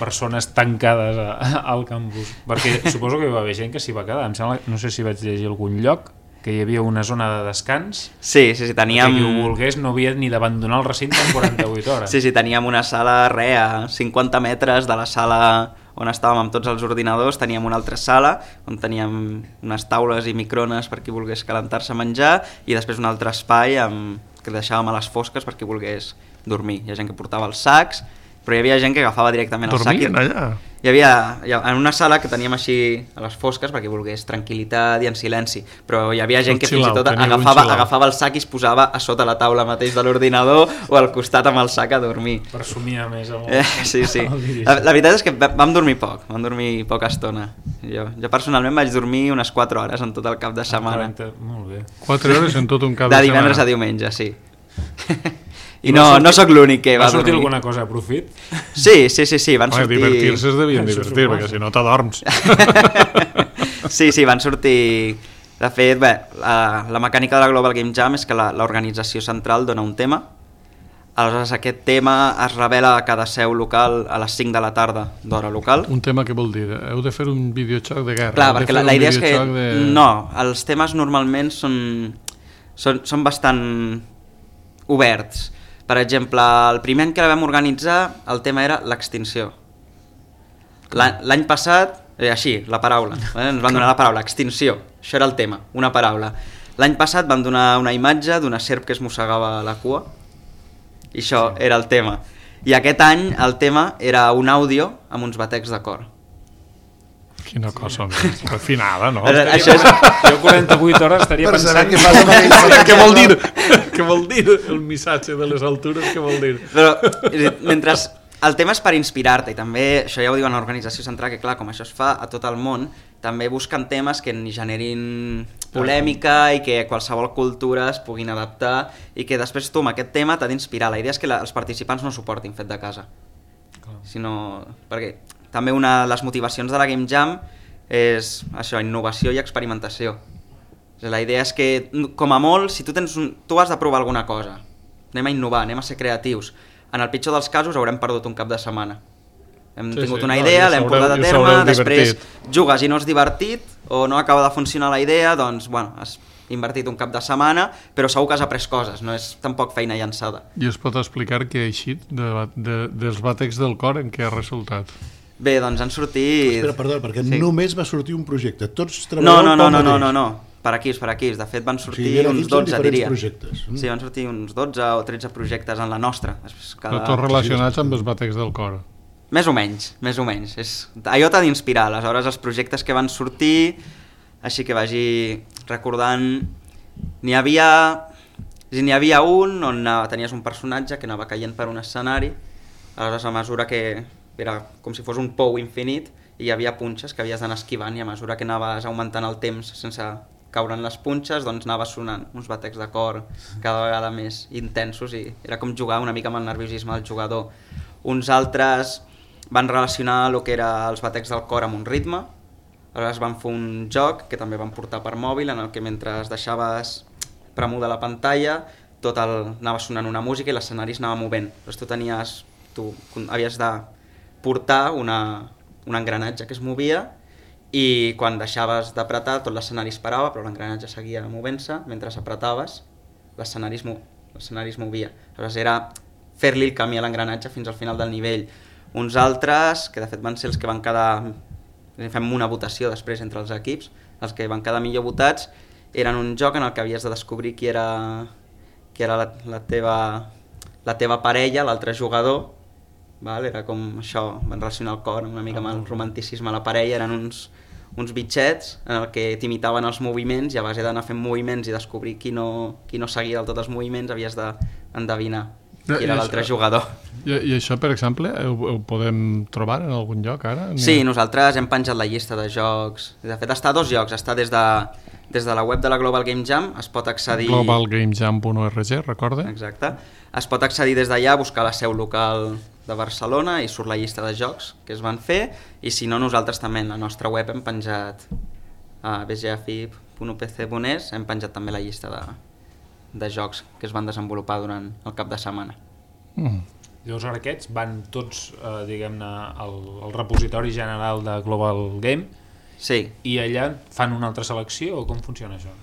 C: persones tancades al campus? Perquè suposo que hi va haver gent que s'hi va quedar. Em sembla, no sé si vaig llegir algun lloc, que hi havia una zona de descans.
E: Sí, teníem...
C: Que qui ho volgués no havia ni d'abandonar el recinte en 48 hores.
E: Sí, teníem una sala a 50 metres de la sala on estàvem amb tots els ordinadors, teníem una altra sala on teníem unes taules i microones per qui volgués calentar-se a menjar i després un altre espai que deixàvem a les fosques per qui volgués dormir. Hi ha gent que portava els sacs, però hi havia gent que agafava directament el sac.
B: Dormien allà?
E: Hi havia en una sala que teníem així a les fosques perquè volgués tranquil·litat i en silenci, però hi havia gent que fins i tot agafava el sac i es posava a sota la taula mateix de l'ordinador o al costat amb el sac a dormir.
C: Per somiar més.
E: Sí. La veritat és que vam dormir poca estona. Jo personalment vaig dormir unes 4 hores en tot el cap de setmana.
C: Molt bé.
B: 4 hores en tot un cap de setmana?
E: De divendres a diumenge, sí. I no sóc l'únic que va
C: sortir
E: dormir.
C: Alguna cosa a profit?
E: Sí, van sortir...
B: Divertir-se es devien divertir, perquè si no t'adorms.
E: Sí, van sortir... De fet, la mecànica de la Global Game Jam és que l'organització central dona un tema. Aleshores, aquest tema es revela a cada seu local a les 5 de la tarda d'hora local.
B: Un tema què vol dir? Heu de fer un videojoc de guerra?
E: Clar, perquè la idea és que... No, els temes normalment són bastant oberts. Per exemple, el primer any que la vam organitzar, el tema era l'extinció. L'any passat, així, la paraula, ens van donar la paraula, extinció, això era el tema, una paraula. L'any passat van donar una imatge d'una serp que es mossegava la cua, i això era el tema. I aquest any el tema era un àudio amb uns batecs de cor.
B: Quina cosa més refinada, no?
E: Això és...
C: Jo 48 hores estaria
D: Per saber
C: pensant...
D: què fas amb aquell...
B: Què vol dir? Què vol dir el missatge de les altures? Què vol dir?
E: Però, mentre el tema és per inspirar-te, i també, això ja ho diuen a l'organització central, que clar, com això es fa a tot el món, també busquen temes que ni generin polèmica i que qualsevol cultura es puguin adaptar i que després tu amb aquest tema t'ha d'inspirar. La idea és que els participants no suportin fet de casa. Sinó... perquè també una de les motivacions de la Game Jam és això, innovació i experimentació. La idea és que, com a molt, si tu has de provar alguna cosa, anem a innovar, anem a ser creatius. En el pitjor dels casos haurem perdut un cap de setmana. Hem tingut una idea, l'hem portat a terme, després jugues i no has divertit, o no acaba de funcionar la idea, doncs, bueno, has invertit un cap de setmana, però segur que has après coses, no és tampoc feina llançada.
B: I es pot explicar què ha eixit dels bàtecs del cor, en què ha resultat?
E: Bé, doncs han sortit...
D: Espera, perdó, perquè només va sortir un projecte. Tots treballeu
E: No. Per equips. De fet, van sortir uns 12, diria. Sí, van sortir uns 12 o 13 projectes en la nostra.
B: Però tots relacionats amb els bàtecs del cor.
E: Més o menys. Allò t'ha d'inspirar, aleshores els projectes que van sortir, així que vagi recordant... N'hi havia un on tenies un personatge que anava caient per un escenari, aleshores a mesura que era com si fos un pou infinit i hi havia punxes que havies d'anar esquivant i a mesura que anaves augmentant el temps sense caure en les punxes, doncs anaves sonant uns batecs de cor cada vegada més intensos i era com jugar una mica amb el nerviosisme del jugador. Uns altres van relacionar el que era els batecs del cor amb un ritme, aleshores van fer un joc que també van portar per mòbil en el que mentre deixaves premuda la pantalla anava sonant una música i l'escenari es anava movent. Llavors tu havies de portar un engranatge que es movia i quan deixaves d'apretar tot l'escenari es parava, però l'engranatge seguia movent-se, mentre apretaves l'escenari es movia. Aleshores era fer-li el camí a l'engranatge fins al final del nivell. Uns altres, que de fet van ser els que van quedar, fem una votació després entre els equips, els que van quedar millor votats eren un joc en el que havies de descobrir qui era la teva parella, l'altre jugador. Era com això, van relacionar el cor una mica amb el romanticisme a la parella, eren uns bitxets en el que t'imitaven els moviments i a base d'anar fent moviments i descobrir qui no seguia del tot els moviments havies d'endevinar qui era l'altre jugador.
B: I això, per exemple, ho podem trobar en algun lloc ara?
E: Sí, nosaltres hem penjat la llista de jocs. De fet, està a 2 llocs. Està des de la web de la Global Game Jam, es pot accedir...
B: globalgamejam.org, recorda?
E: Exacte. Es pot accedir des d'allà, buscar la seu local de Barcelona i surt la llista de jocs que es van fer, i si no, nosaltres també en la nostra web hem penjat a bgafib.upc.es, hem penjat també la llista de jocs que es van desenvolupar durant el cap de setmana.
C: Llavors ara aquests van tots, diguem-ne, al repositori general de Global Game.
E: Sí.
C: I allà fan una altra selecció o com funciona això?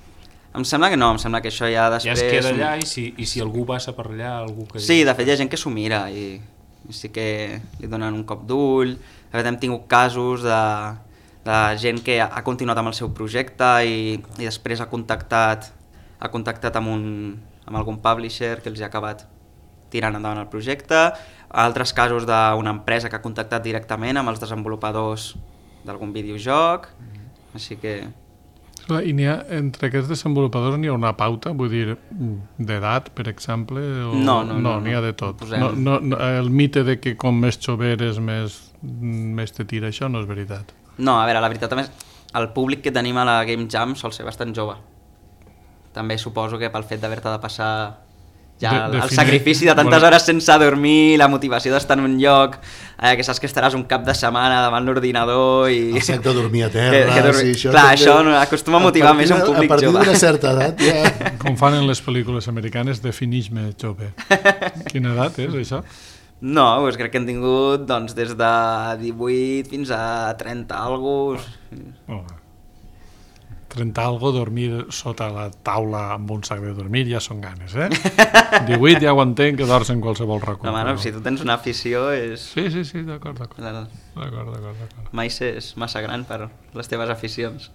E: Em sembla que no, em sembla que això ja després...
C: Ja es queda allà i si algú passa per allà... Algú que...
E: Sí, de fet hi ha gent que s'ho mira i sí que li donen un cop d'ull. De fet hem tingut casos de gent que ha continuat amb el seu projecte i després ha contactat amb algun publisher que els ha acabat tirant endavant el projecte. Altres casos d'una empresa que ha contactat directament amb els desenvolupadors d'algun videojoc, així que...
B: I entre aquests desenvolupadors n'hi ha una pauta, vull dir, d'edat, per exemple?
E: No,
B: n'hi ha de tot. El mite de que com més jove eres, més te tira, això no és veritat.
E: No, a veure, la veritat també el públic que tenim a la Game Jam sol ser bastant jove. També suposo que pel fet d'haver-te de passar ja el sacrifici de tantes hores sense dormir, la motivació d'estar en un lloc que saps que estaràs un cap de setmana davant l'ordinador i...
D: El sac de dormir a terra...
E: Sí, això clar, això acostuma a motivar més un públic jove.
D: A partir d'una certa edat ja...
B: Com fan en les pel·lícules americanes, definix-me jove. Quina edat és això?
E: No, doncs crec que hem tingut des de 18 fins a 30 alguns.
B: 30 algo, dormir sota la taula amb un sac de dormir ja són ganes, 18 ja ho entenc, que dors en qualsevol racó.
E: No, si tu tens una afició és...
B: Sí, d'acord.
E: Mai és massa gran per les teves aficions.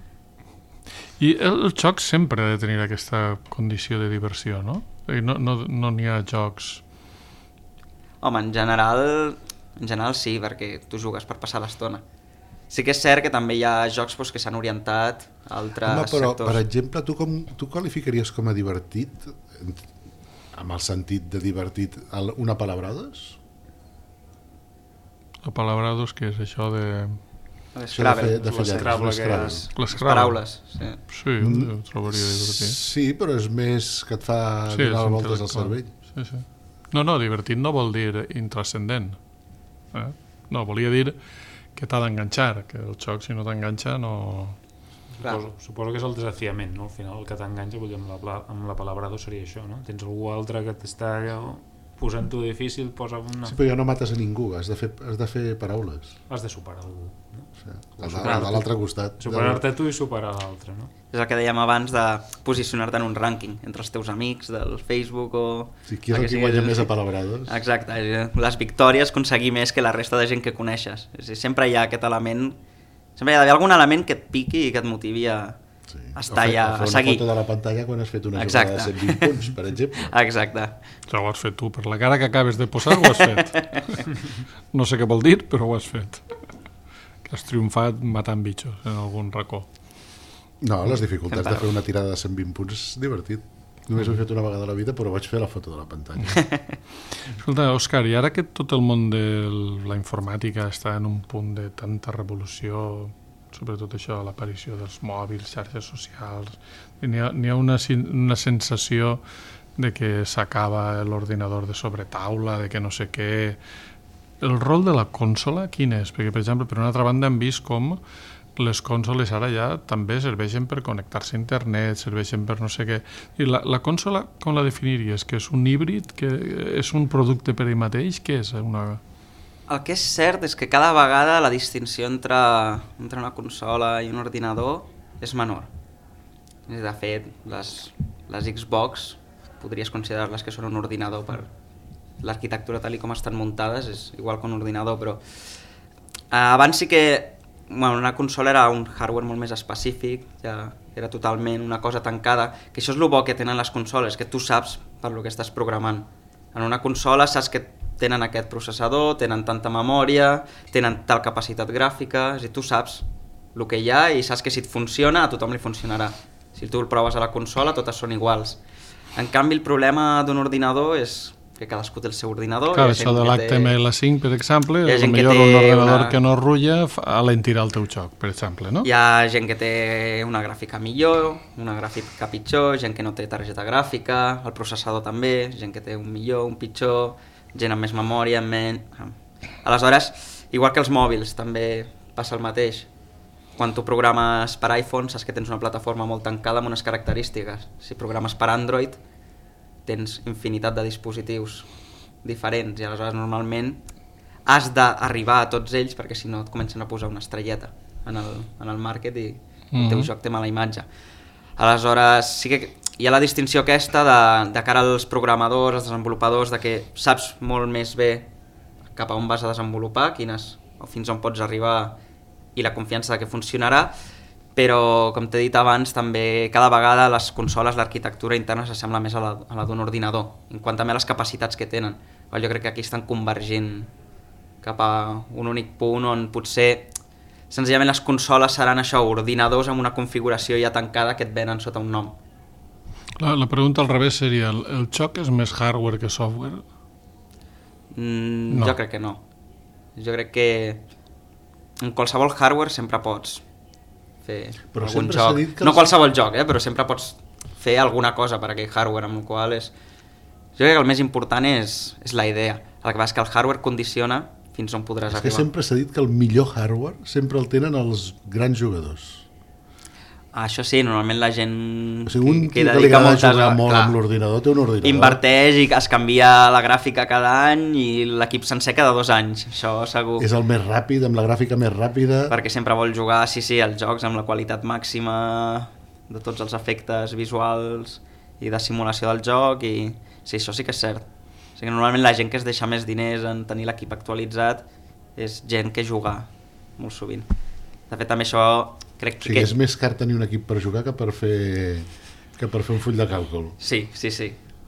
B: I el joc sempre ha de tenir aquesta condició de diversió, no? No n'hi ha jocs...
E: Home, en general sí, perquè tu jugues per passar l'estona. Sí que és cert que també hi ha jocs que s'han orientat a altres sectors.
D: Per exemple, tu qualificaries com a divertit, amb el sentit de divertit, una Palabrados?
B: La Palabrados, què és això de...
E: L'Scrabble, les paraules.
B: Sí, ho trobaria divertit.
D: Sí, però és més que et fa donar voltes al cervell.
B: Sí. No, divertit no vol dir intrascendent. No, volia dir que t'ha d'enganxar, que el joc, si no t'enganxa, no...
C: Suposo que és el desafiament, no? Al final el que t'enganxa, vull dir, amb la Palabrado seria això, no? Tens algú altre que t'està posant-ho difícil, posa una...
D: Sí, però ja no mates a ningú, has de fer paraules.
C: Has de superar algú, no?
D: De l'altre costat.
C: Superar-te tu i superar l'altre, no?
E: És el que dèiem abans de posicionar-te en un rànquing entre els teus amics del Facebook o...
D: Sí, qui és el que guanya més a Palabrados?
E: Exacte, les victòries, aconseguir més que la resta de gent que coneixes. Sempre hi ha aquest element, sempre hi ha d'haver algun element que et piqui i que et motivi a estar allà, a seguir.
D: Una foto de la pantalla quan has fet una jugada de 120 punts, per exemple.
E: Exacte.
B: Ja ho has fet tu, per la cara que acabes de posar ho has fet. No sé què vol dir, però ho has fet. Has triomfat matant bitxos en algun racó.
D: No, les dificultats de fer una tirada de 120 punts és divertit. Només ho he fet una vegada a la vida, però vaig fer la foto de la pantalla.
B: Escolta, Òscar, i ara que tot el món de la informàtica està en un punt de tanta revolució, sobretot això, l'aparició dels mòbils, xarxes socials, n'hi ha una sensació de que s'acaba l'ordinador de sobretaula, de que no sé què... El rol de la consola quin és? Perquè, per exemple, per una altra banda hem vist com les consoles ara ja també serveixen per connectar-se a internet, serveixen per no sé què. I la consola, com la definiries? Que és un híbrid? Que és un producte per ell mateix? Què és una...
E: El que és cert és que cada vegada la distinció entre una consola i un ordinador és menor. De fet, les Xbox podries considerar-les que són un ordinador per l'arquitectura tal com estan muntades, és igual que un ordinador, però abans sí que una consola era un hardware molt més específic, ja era totalment una cosa tancada, que això és el bo que tenen les consoles, que tu saps per lo que estàs programant. En una consola saps que tenen aquest processador, tenen tanta memòria, tenen tal capacitat gràfica, és a dir, tu saps el que hi ha i saps que si et funciona a tothom li funcionarà. Si tu el proves a la consola totes són iguals. En canvi el problema d'un ordinador és que cadascú té el seu ordinador.
B: Clar, això de l'HTML5, per exemple, potser un ordinador que no rutlla alentirà el teu joc, per exemple, no?
E: Hi ha gent que té una gràfica millor, una gràfica pitjor, gent que no té targeta gràfica, el processador també, gent que té un millor, un pitjor, gent amb més memòria, amb menys... Aleshores, igual que els mòbils, també passa el mateix. Quan tu programes per iPhone, saps que tens una plataforma molt tancada amb unes característiques. Si programes per Android, tens infinitat de dispositius diferents i aleshores normalment has d'arribar a tots ells perquè si no et comencen a posar una estrelleta en el market i el teu joc té mala imatge. Aleshores sí que hi ha la distinció aquesta de cara als programadors, als desenvolupadors, de que saps molt més bé cap a on vas a desenvolupar, fins on pots arribar i la confiança de que funcionarà, però, com t'he dit abans, també cada vegada les consoles, l'arquitectura interna s'assembla més a la d'un ordinador, en quant també a les capacitats que tenen. Jo crec que aquí estan convergint cap a un únic punt on potser senzillament les consoles seran això, ordinadors amb una configuració ja tancada que et venen sota un nom.
B: La pregunta al revés seria, el joc és més hardware que software?
E: No. Jo crec que no. Jo crec que en qualsevol hardware sempre pots fer
D: però
E: algun joc. No qualsevol joc, però sempre pots fer alguna cosa per aquell hardware, amb el qual és... Jo crec que el més important és la idea. El que passa és que el hardware condiciona fins on podràs arribar.
D: És que sempre s'ha dit que el millor hardware sempre el tenen els grans jugadors.
E: Això sí, normalment la gent
D: un que dedica moltes hores molt amb l'ordinador té un ordinador.
E: Inverteix i es canvia la gràfica cada any i l'equip sencer cada 2 anys, això segur.
D: És el més ràpid, amb la gràfica més ràpida.
E: Perquè sempre vol jugar, sí, els jocs amb la qualitat màxima de tots els efectes visuals i de simulació del joc, i sí, això sí que és cert. O sigui, normalment la gent que es deixa més diners en tenir l'equip actualitzat és gent que juga molt sovint. De fet, també això crec que...
D: és més car tenir un equip per jugar que per fer un full de càlcul.
E: Sí.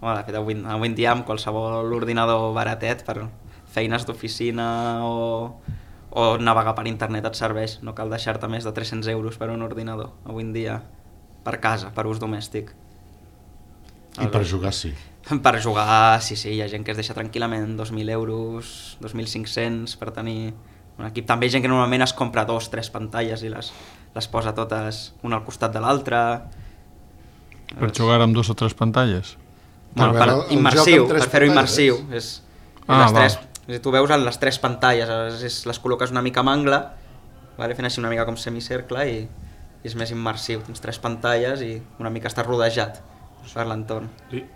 E: Home, de fet, avui en dia amb qualsevol ordinador baratet per feines d'oficina o navegar per internet et serveix. No cal deixar-te més de 300 euros per un ordinador avui en dia, per casa, per ús domèstic.
D: I per jugar sí.
E: Per jugar, sí, hi ha gent que es deixa tranquil·lament 2.000 euros, 2.500 per tenir un equip. També hi ha gent que normalment es compra 2 o 3 pantalles i les posa totes una al costat de l'altra.
B: Per jugar amb 2 o 3 pantalles?
E: Bueno, per immersiu, per fer-ho immersiu. Tu veus les 3 pantalles, les col·loques una mica amb angle, fent així una mica com semicercle, i és més immersiu. Tens 3 pantalles i una mica estàs rodejat per l'entorn.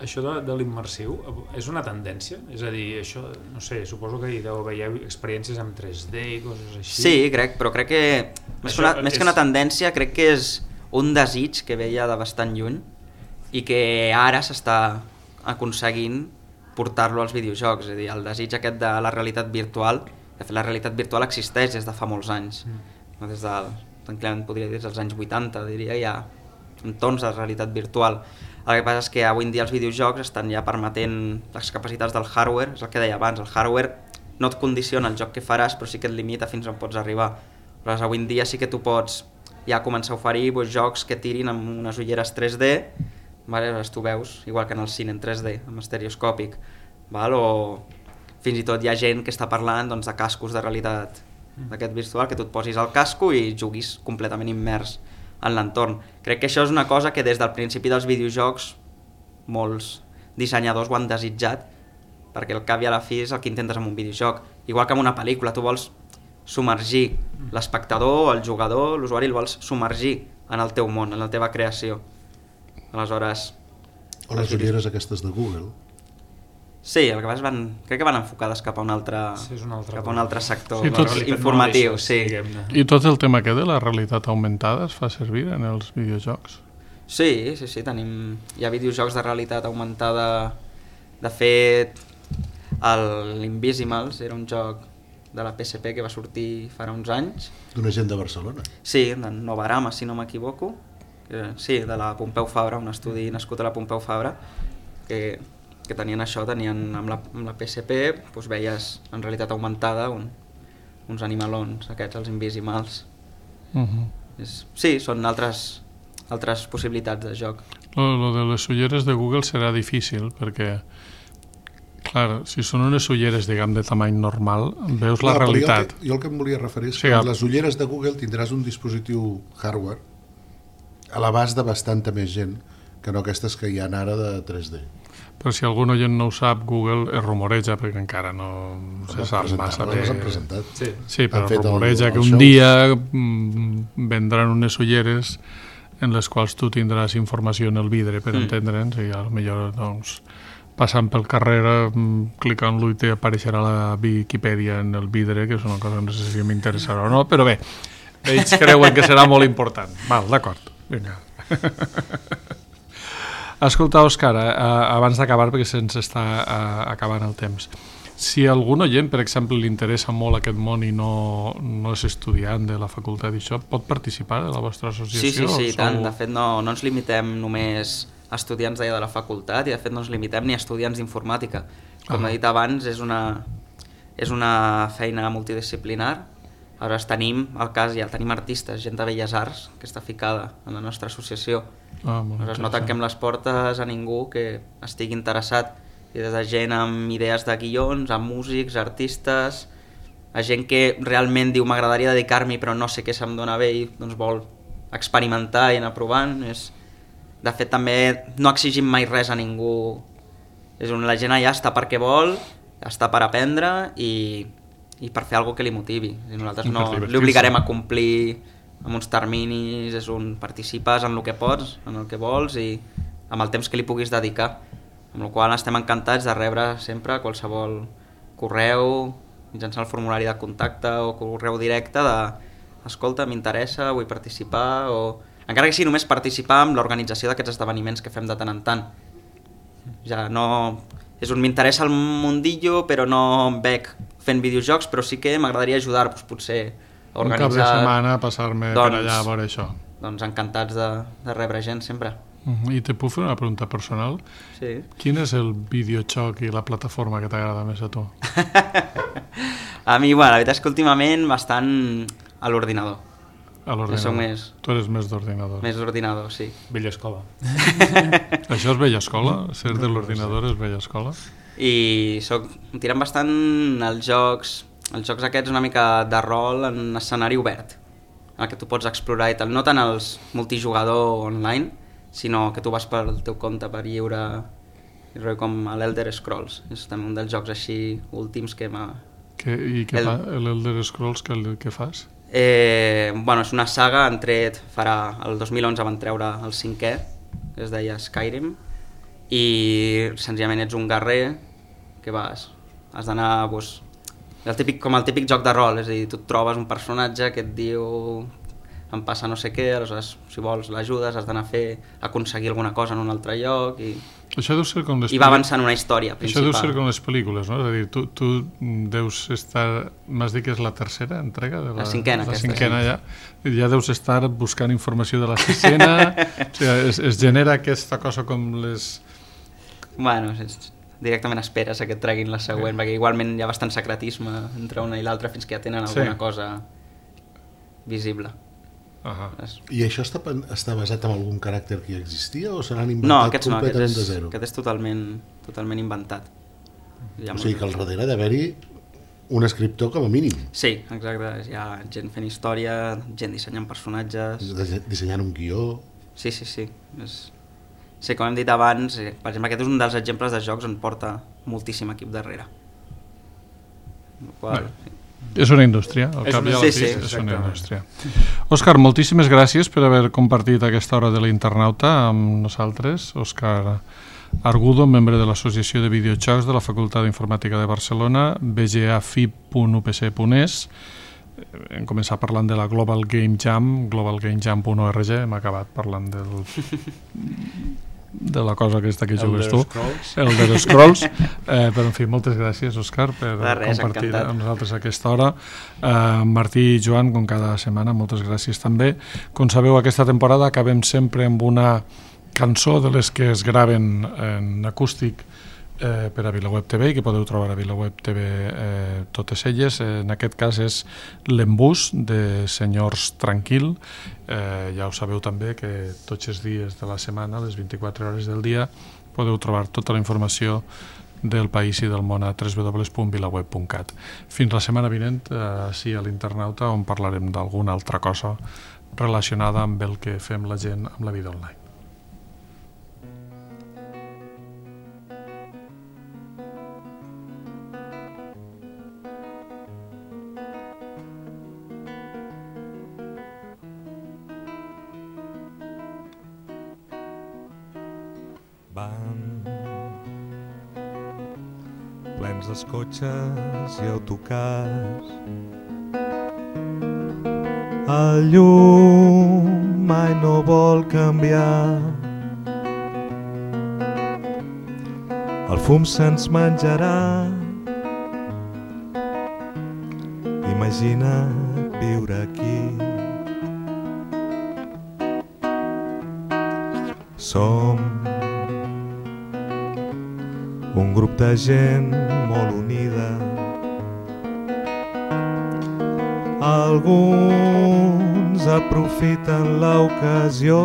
C: Això de l'immersiu és una tendència? És a dir, això, no sé, suposo que hi deu haver experiències amb 3D i coses així.
E: Sí, crec que més que una tendència, crec que és un desig que veia de bastant lluny i que ara s'està aconseguint portar-lo als videojocs. És a dir, el desig aquest de la realitat virtual, de fet la realitat virtual existeix des de fa molts anys. Tranquil·lament podria dir des dels anys 80, diria, hi ha entorns de realitat virtual. El que passa és que avui en dia els videojocs estan ja permetent les capacitats del hardware, és el que deia abans, el hardware no et condiciona el joc que faràs, però sí que et limita fins on pots arribar. Però avui en dia sí que tu pots ja començar a oferir jocs que tirin amb unes ulleres 3D, tu veus, igual que en el cine en 3D, amb estereoscòpic, o fins i tot hi ha gent que està parlant de cascos de realitat d'aquest virtual, que tu et posis el casco i juguis completament immers en l'entorn. Crec que això és una cosa que des del principi dels videojocs molts dissenyadors ho han desitjat, perquè al cap i a la fi és el que intentes amb un videojoc. Igual que amb una pel·lícula, tu vols submergir l'espectador, el jugador, l'usuari, el vols submergir en el teu món, en la teva creació. Aleshores...
D: O les ulleres aquestes de Google.
E: Sí, el que passa crec que van enfocades cap a un altre sector informatiu. Sí.
B: I tot el tema que de la realitat augmentada es fa servir en els videojocs?
E: Sí, hi ha videojocs de realitat augmentada. De fet, l'Invisimals era un joc de la PSP que va sortir farà uns anys.
D: D'una gent de Barcelona?
E: Sí, de Novarama, si no m'equivoco. Sí, de la Pompeu Fabra, un estudi nascut a la Pompeu Fabra, que tenien amb la PSP, veies en realitat augmentada uns animalons, aquests, els Invisimals. Sí, són altres possibilitats de joc.
B: Lo de les ulleres de Google serà difícil, perquè, clar, si són unes ulleres, diguem, de tamany normal, veus la realitat.
D: Jo el que em volia referir és que les ulleres de Google tindràs un dispositiu hardware a l'abast de bastanta més gent que no aquestes que hi ha ara de 3D.
B: Però si algun oient no ho sap, Google es rumoreja, perquè encara no se sap massa bé.
D: Les han presentat.
B: Sí, però rumoreja que un dia vendran unes ulleres en les quals tu tindràs informació en el vidre per entendre'ns, i potser passant pel carrer, clicant-lo i t'apareixerà la Viquipèdia en el vidre, que és una cosa que no sé si m'interessarà o no, però bé, ells creuen que serà molt important. Val, d'acord, vinga. Escolta, Òscar, abans d'acabar, perquè se'ns està acabant el temps, si algun oient, per exemple, li interessa molt aquest món i no és estudiant de la facultat d'això, pot participar de la vostra associació?
E: Sí, tant. De fet, no ens limitem només a estudiants de la facultat, i de fet no ens limitem ni a estudiants d'informàtica. Com he dit abans, és una feina multidisciplinar. Ara tenim artistes, gent de Belles Arts que està ficada en la nostra associació. No tanquem les portes a ningú que estigui interessat, i des de gent amb idees de guions, a músics, artistes, a gent que realment diu m'agradaria dedicar-m'hi però no sé què se'm dona bé i vol experimentar i anar provant. De fet, també no exigim mai res a ningú. La gent allà està perquè vol, està per aprendre i per fer alguna que li motivi. Nosaltres no li obligarem a complir amb uns terminis, participes en el que pots, en el que vols i amb el temps que li puguis dedicar. Amb la qual cosa estem encantats de rebre sempre qualsevol correu mitjançant el formulari de contacte o correu directe de escolta, m'interessa, vull participar, o encara que sigui només participar en l'organització d'aquests esdeveniments que fem de tant en tant. Ja no... m'interessa el mundillo, però no em veig fent videojocs, però sí que m'agradaria ajudar, doncs, potser a organitzar...
B: Un cap de setmana, passar-me per allà a veure això.
E: Doncs encantats de rebre gent, sempre.
B: I te puc fer una pregunta personal?
E: Sí.
B: Quin és el videojoc i la plataforma que t'agrada més a tu?
E: A mi, bueno, la veritat és que últimament bastant a l'ordinador.
B: A l'ordinador.
E: Més...
B: Tu eres més d'ordinador.
E: Més d'ordinador, sí.
C: Vella escola.
B: Això és vella escola? Ser de l'ordinador és vella escola?
E: I em tiren bastant els jocs aquests una mica de rol en escenari obert, en el que tu pots explorar i tal, no tant els multijugador online, sinó que tu vas pel teu compte per lliure, com l'Elder Scrolls. És també un dels jocs així últims que m'ha...
B: I què fa l'Elder Scrolls, què fas?
E: Bueno, és una saga, el 2011 van treure el 5è, que es deia Skyrim, i senzillament ets un guerrer que has d'anar... com el típic joc de rol, és a dir, tu et trobes un personatge que et diu em passa no sé què, aleshores si vols l'ajudes, has d'anar a aconseguir alguna cosa en un altre lloc i va avançant una història principal.
B: Això deu ser com les pel·lícules, no? És a dir, tu deus estar, m'has dit que és la tercera entrega?
E: La cinquena.
B: La cinquena ja deus estar buscant informació de la sisena, o sigui, es genera aquesta cosa com les...
E: Bueno, directament esperes que et treguin la següent, perquè igualment hi ha bastant secretisme entre una i l'altra fins que ja tenen alguna cosa visible.
D: I això està basat en algun caràcter que ja existia o se l'han inventat completament de zero?
E: No, aquest és totalment inventat.
D: O sigui que al darrere d'haver-hi un escriptor com a mínim.
E: Sí, exacte, hi ha gent fent història, gent dissenyant personatges...
D: Dissenyant un guió...
E: Sí. Sí, com hem dit abans, per exemple, aquest és un dels exemples de jocs on porta moltíssim equip darrere.
B: És una indústria, al cap i a la fi és una indústria. Òscar, moltíssimes gràcies per haver compartit aquesta hora de l'Internauta amb nosaltres. Òscar Argudo, membre de l'Associació de Videojocs de la Facultat d'Informàtica de Barcelona, bgafib.upc.es. Hem començat parlant de la Global Game Jam, globalgamejam.org, hem acabat parlant de la cosa aquesta que jugues tu, Elder Scrolls. Però, en fi, moltes gràcies, Òscar, per compartir amb nosaltres aquesta hora. Martí i Joan, com cada setmana, moltes gràcies també. Com sabeu, aquesta temporada acabem sempre amb una cançó de les que es graven en acústic per a VilaWeb TV i que podeu trobar a VilaWeb TV totes elles. En aquest cas és l'Embús de Senyors Tranquil. Ja ho sabeu també que tots els dies de la setmana, les 24 hores del dia, podeu trobar tota la informació del país i del món a www.vilaweb.cat. Fins la setmana vinent, així a l'Internauta, on parlarem d'alguna altra cosa relacionada amb el que fem la gent amb la vida online.
G: Plens dels cotxes i autocars, el llum mai no vol canviar, el fum se'ns menjarà. Imagina't viure aquí. Som un grup de gent molt unida. Alguns aprofiten l'ocasió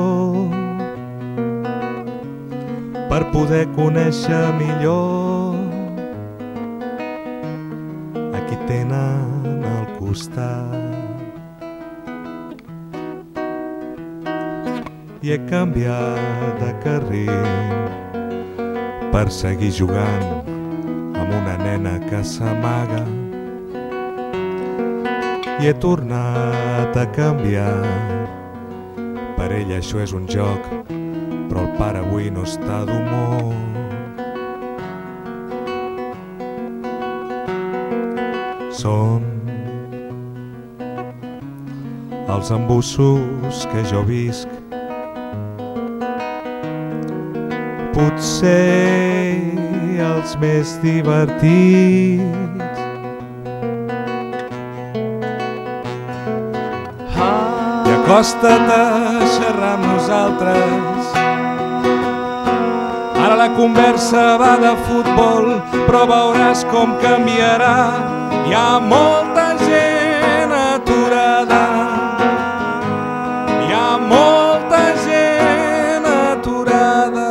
G: per poder conèixer millor a qui tenen al costat. I he canviat de carril per seguir jugant amb una nena que s'amaga. I he tornat a canviar, per ella això és un joc, però el pare avui no està d'humor. Són els embussos que jo visc, potser els més divertits. I acosta't a xerrar amb nosaltres. Ara la conversa va de futbol, però veuràs com canviarà. Hi ha molta gent aturada. Hi ha molta gent aturada.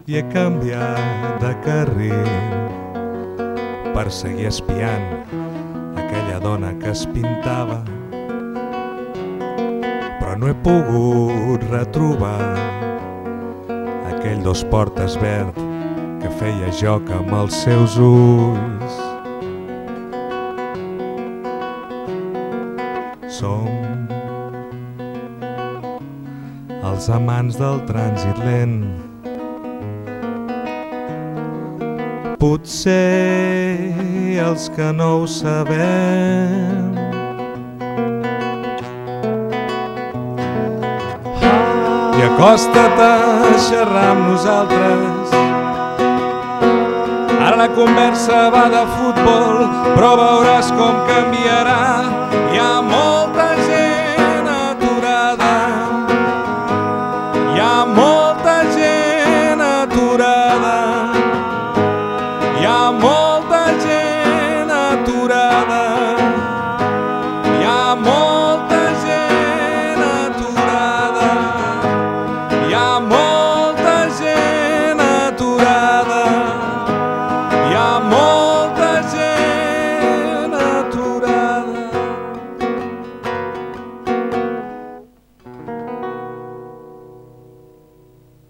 G: I he canviat de carril per seguir espiant aquella dona que es pintava, però no he pogut retrobar aquell dos portes verd que feia joc amb els seus ulls. Som els amants del trànsit lent. Potser els que no ho sabem. I acosta't a xerrar amb nosaltres. Ara la conversa va de futbol, però veuràs com canviarà.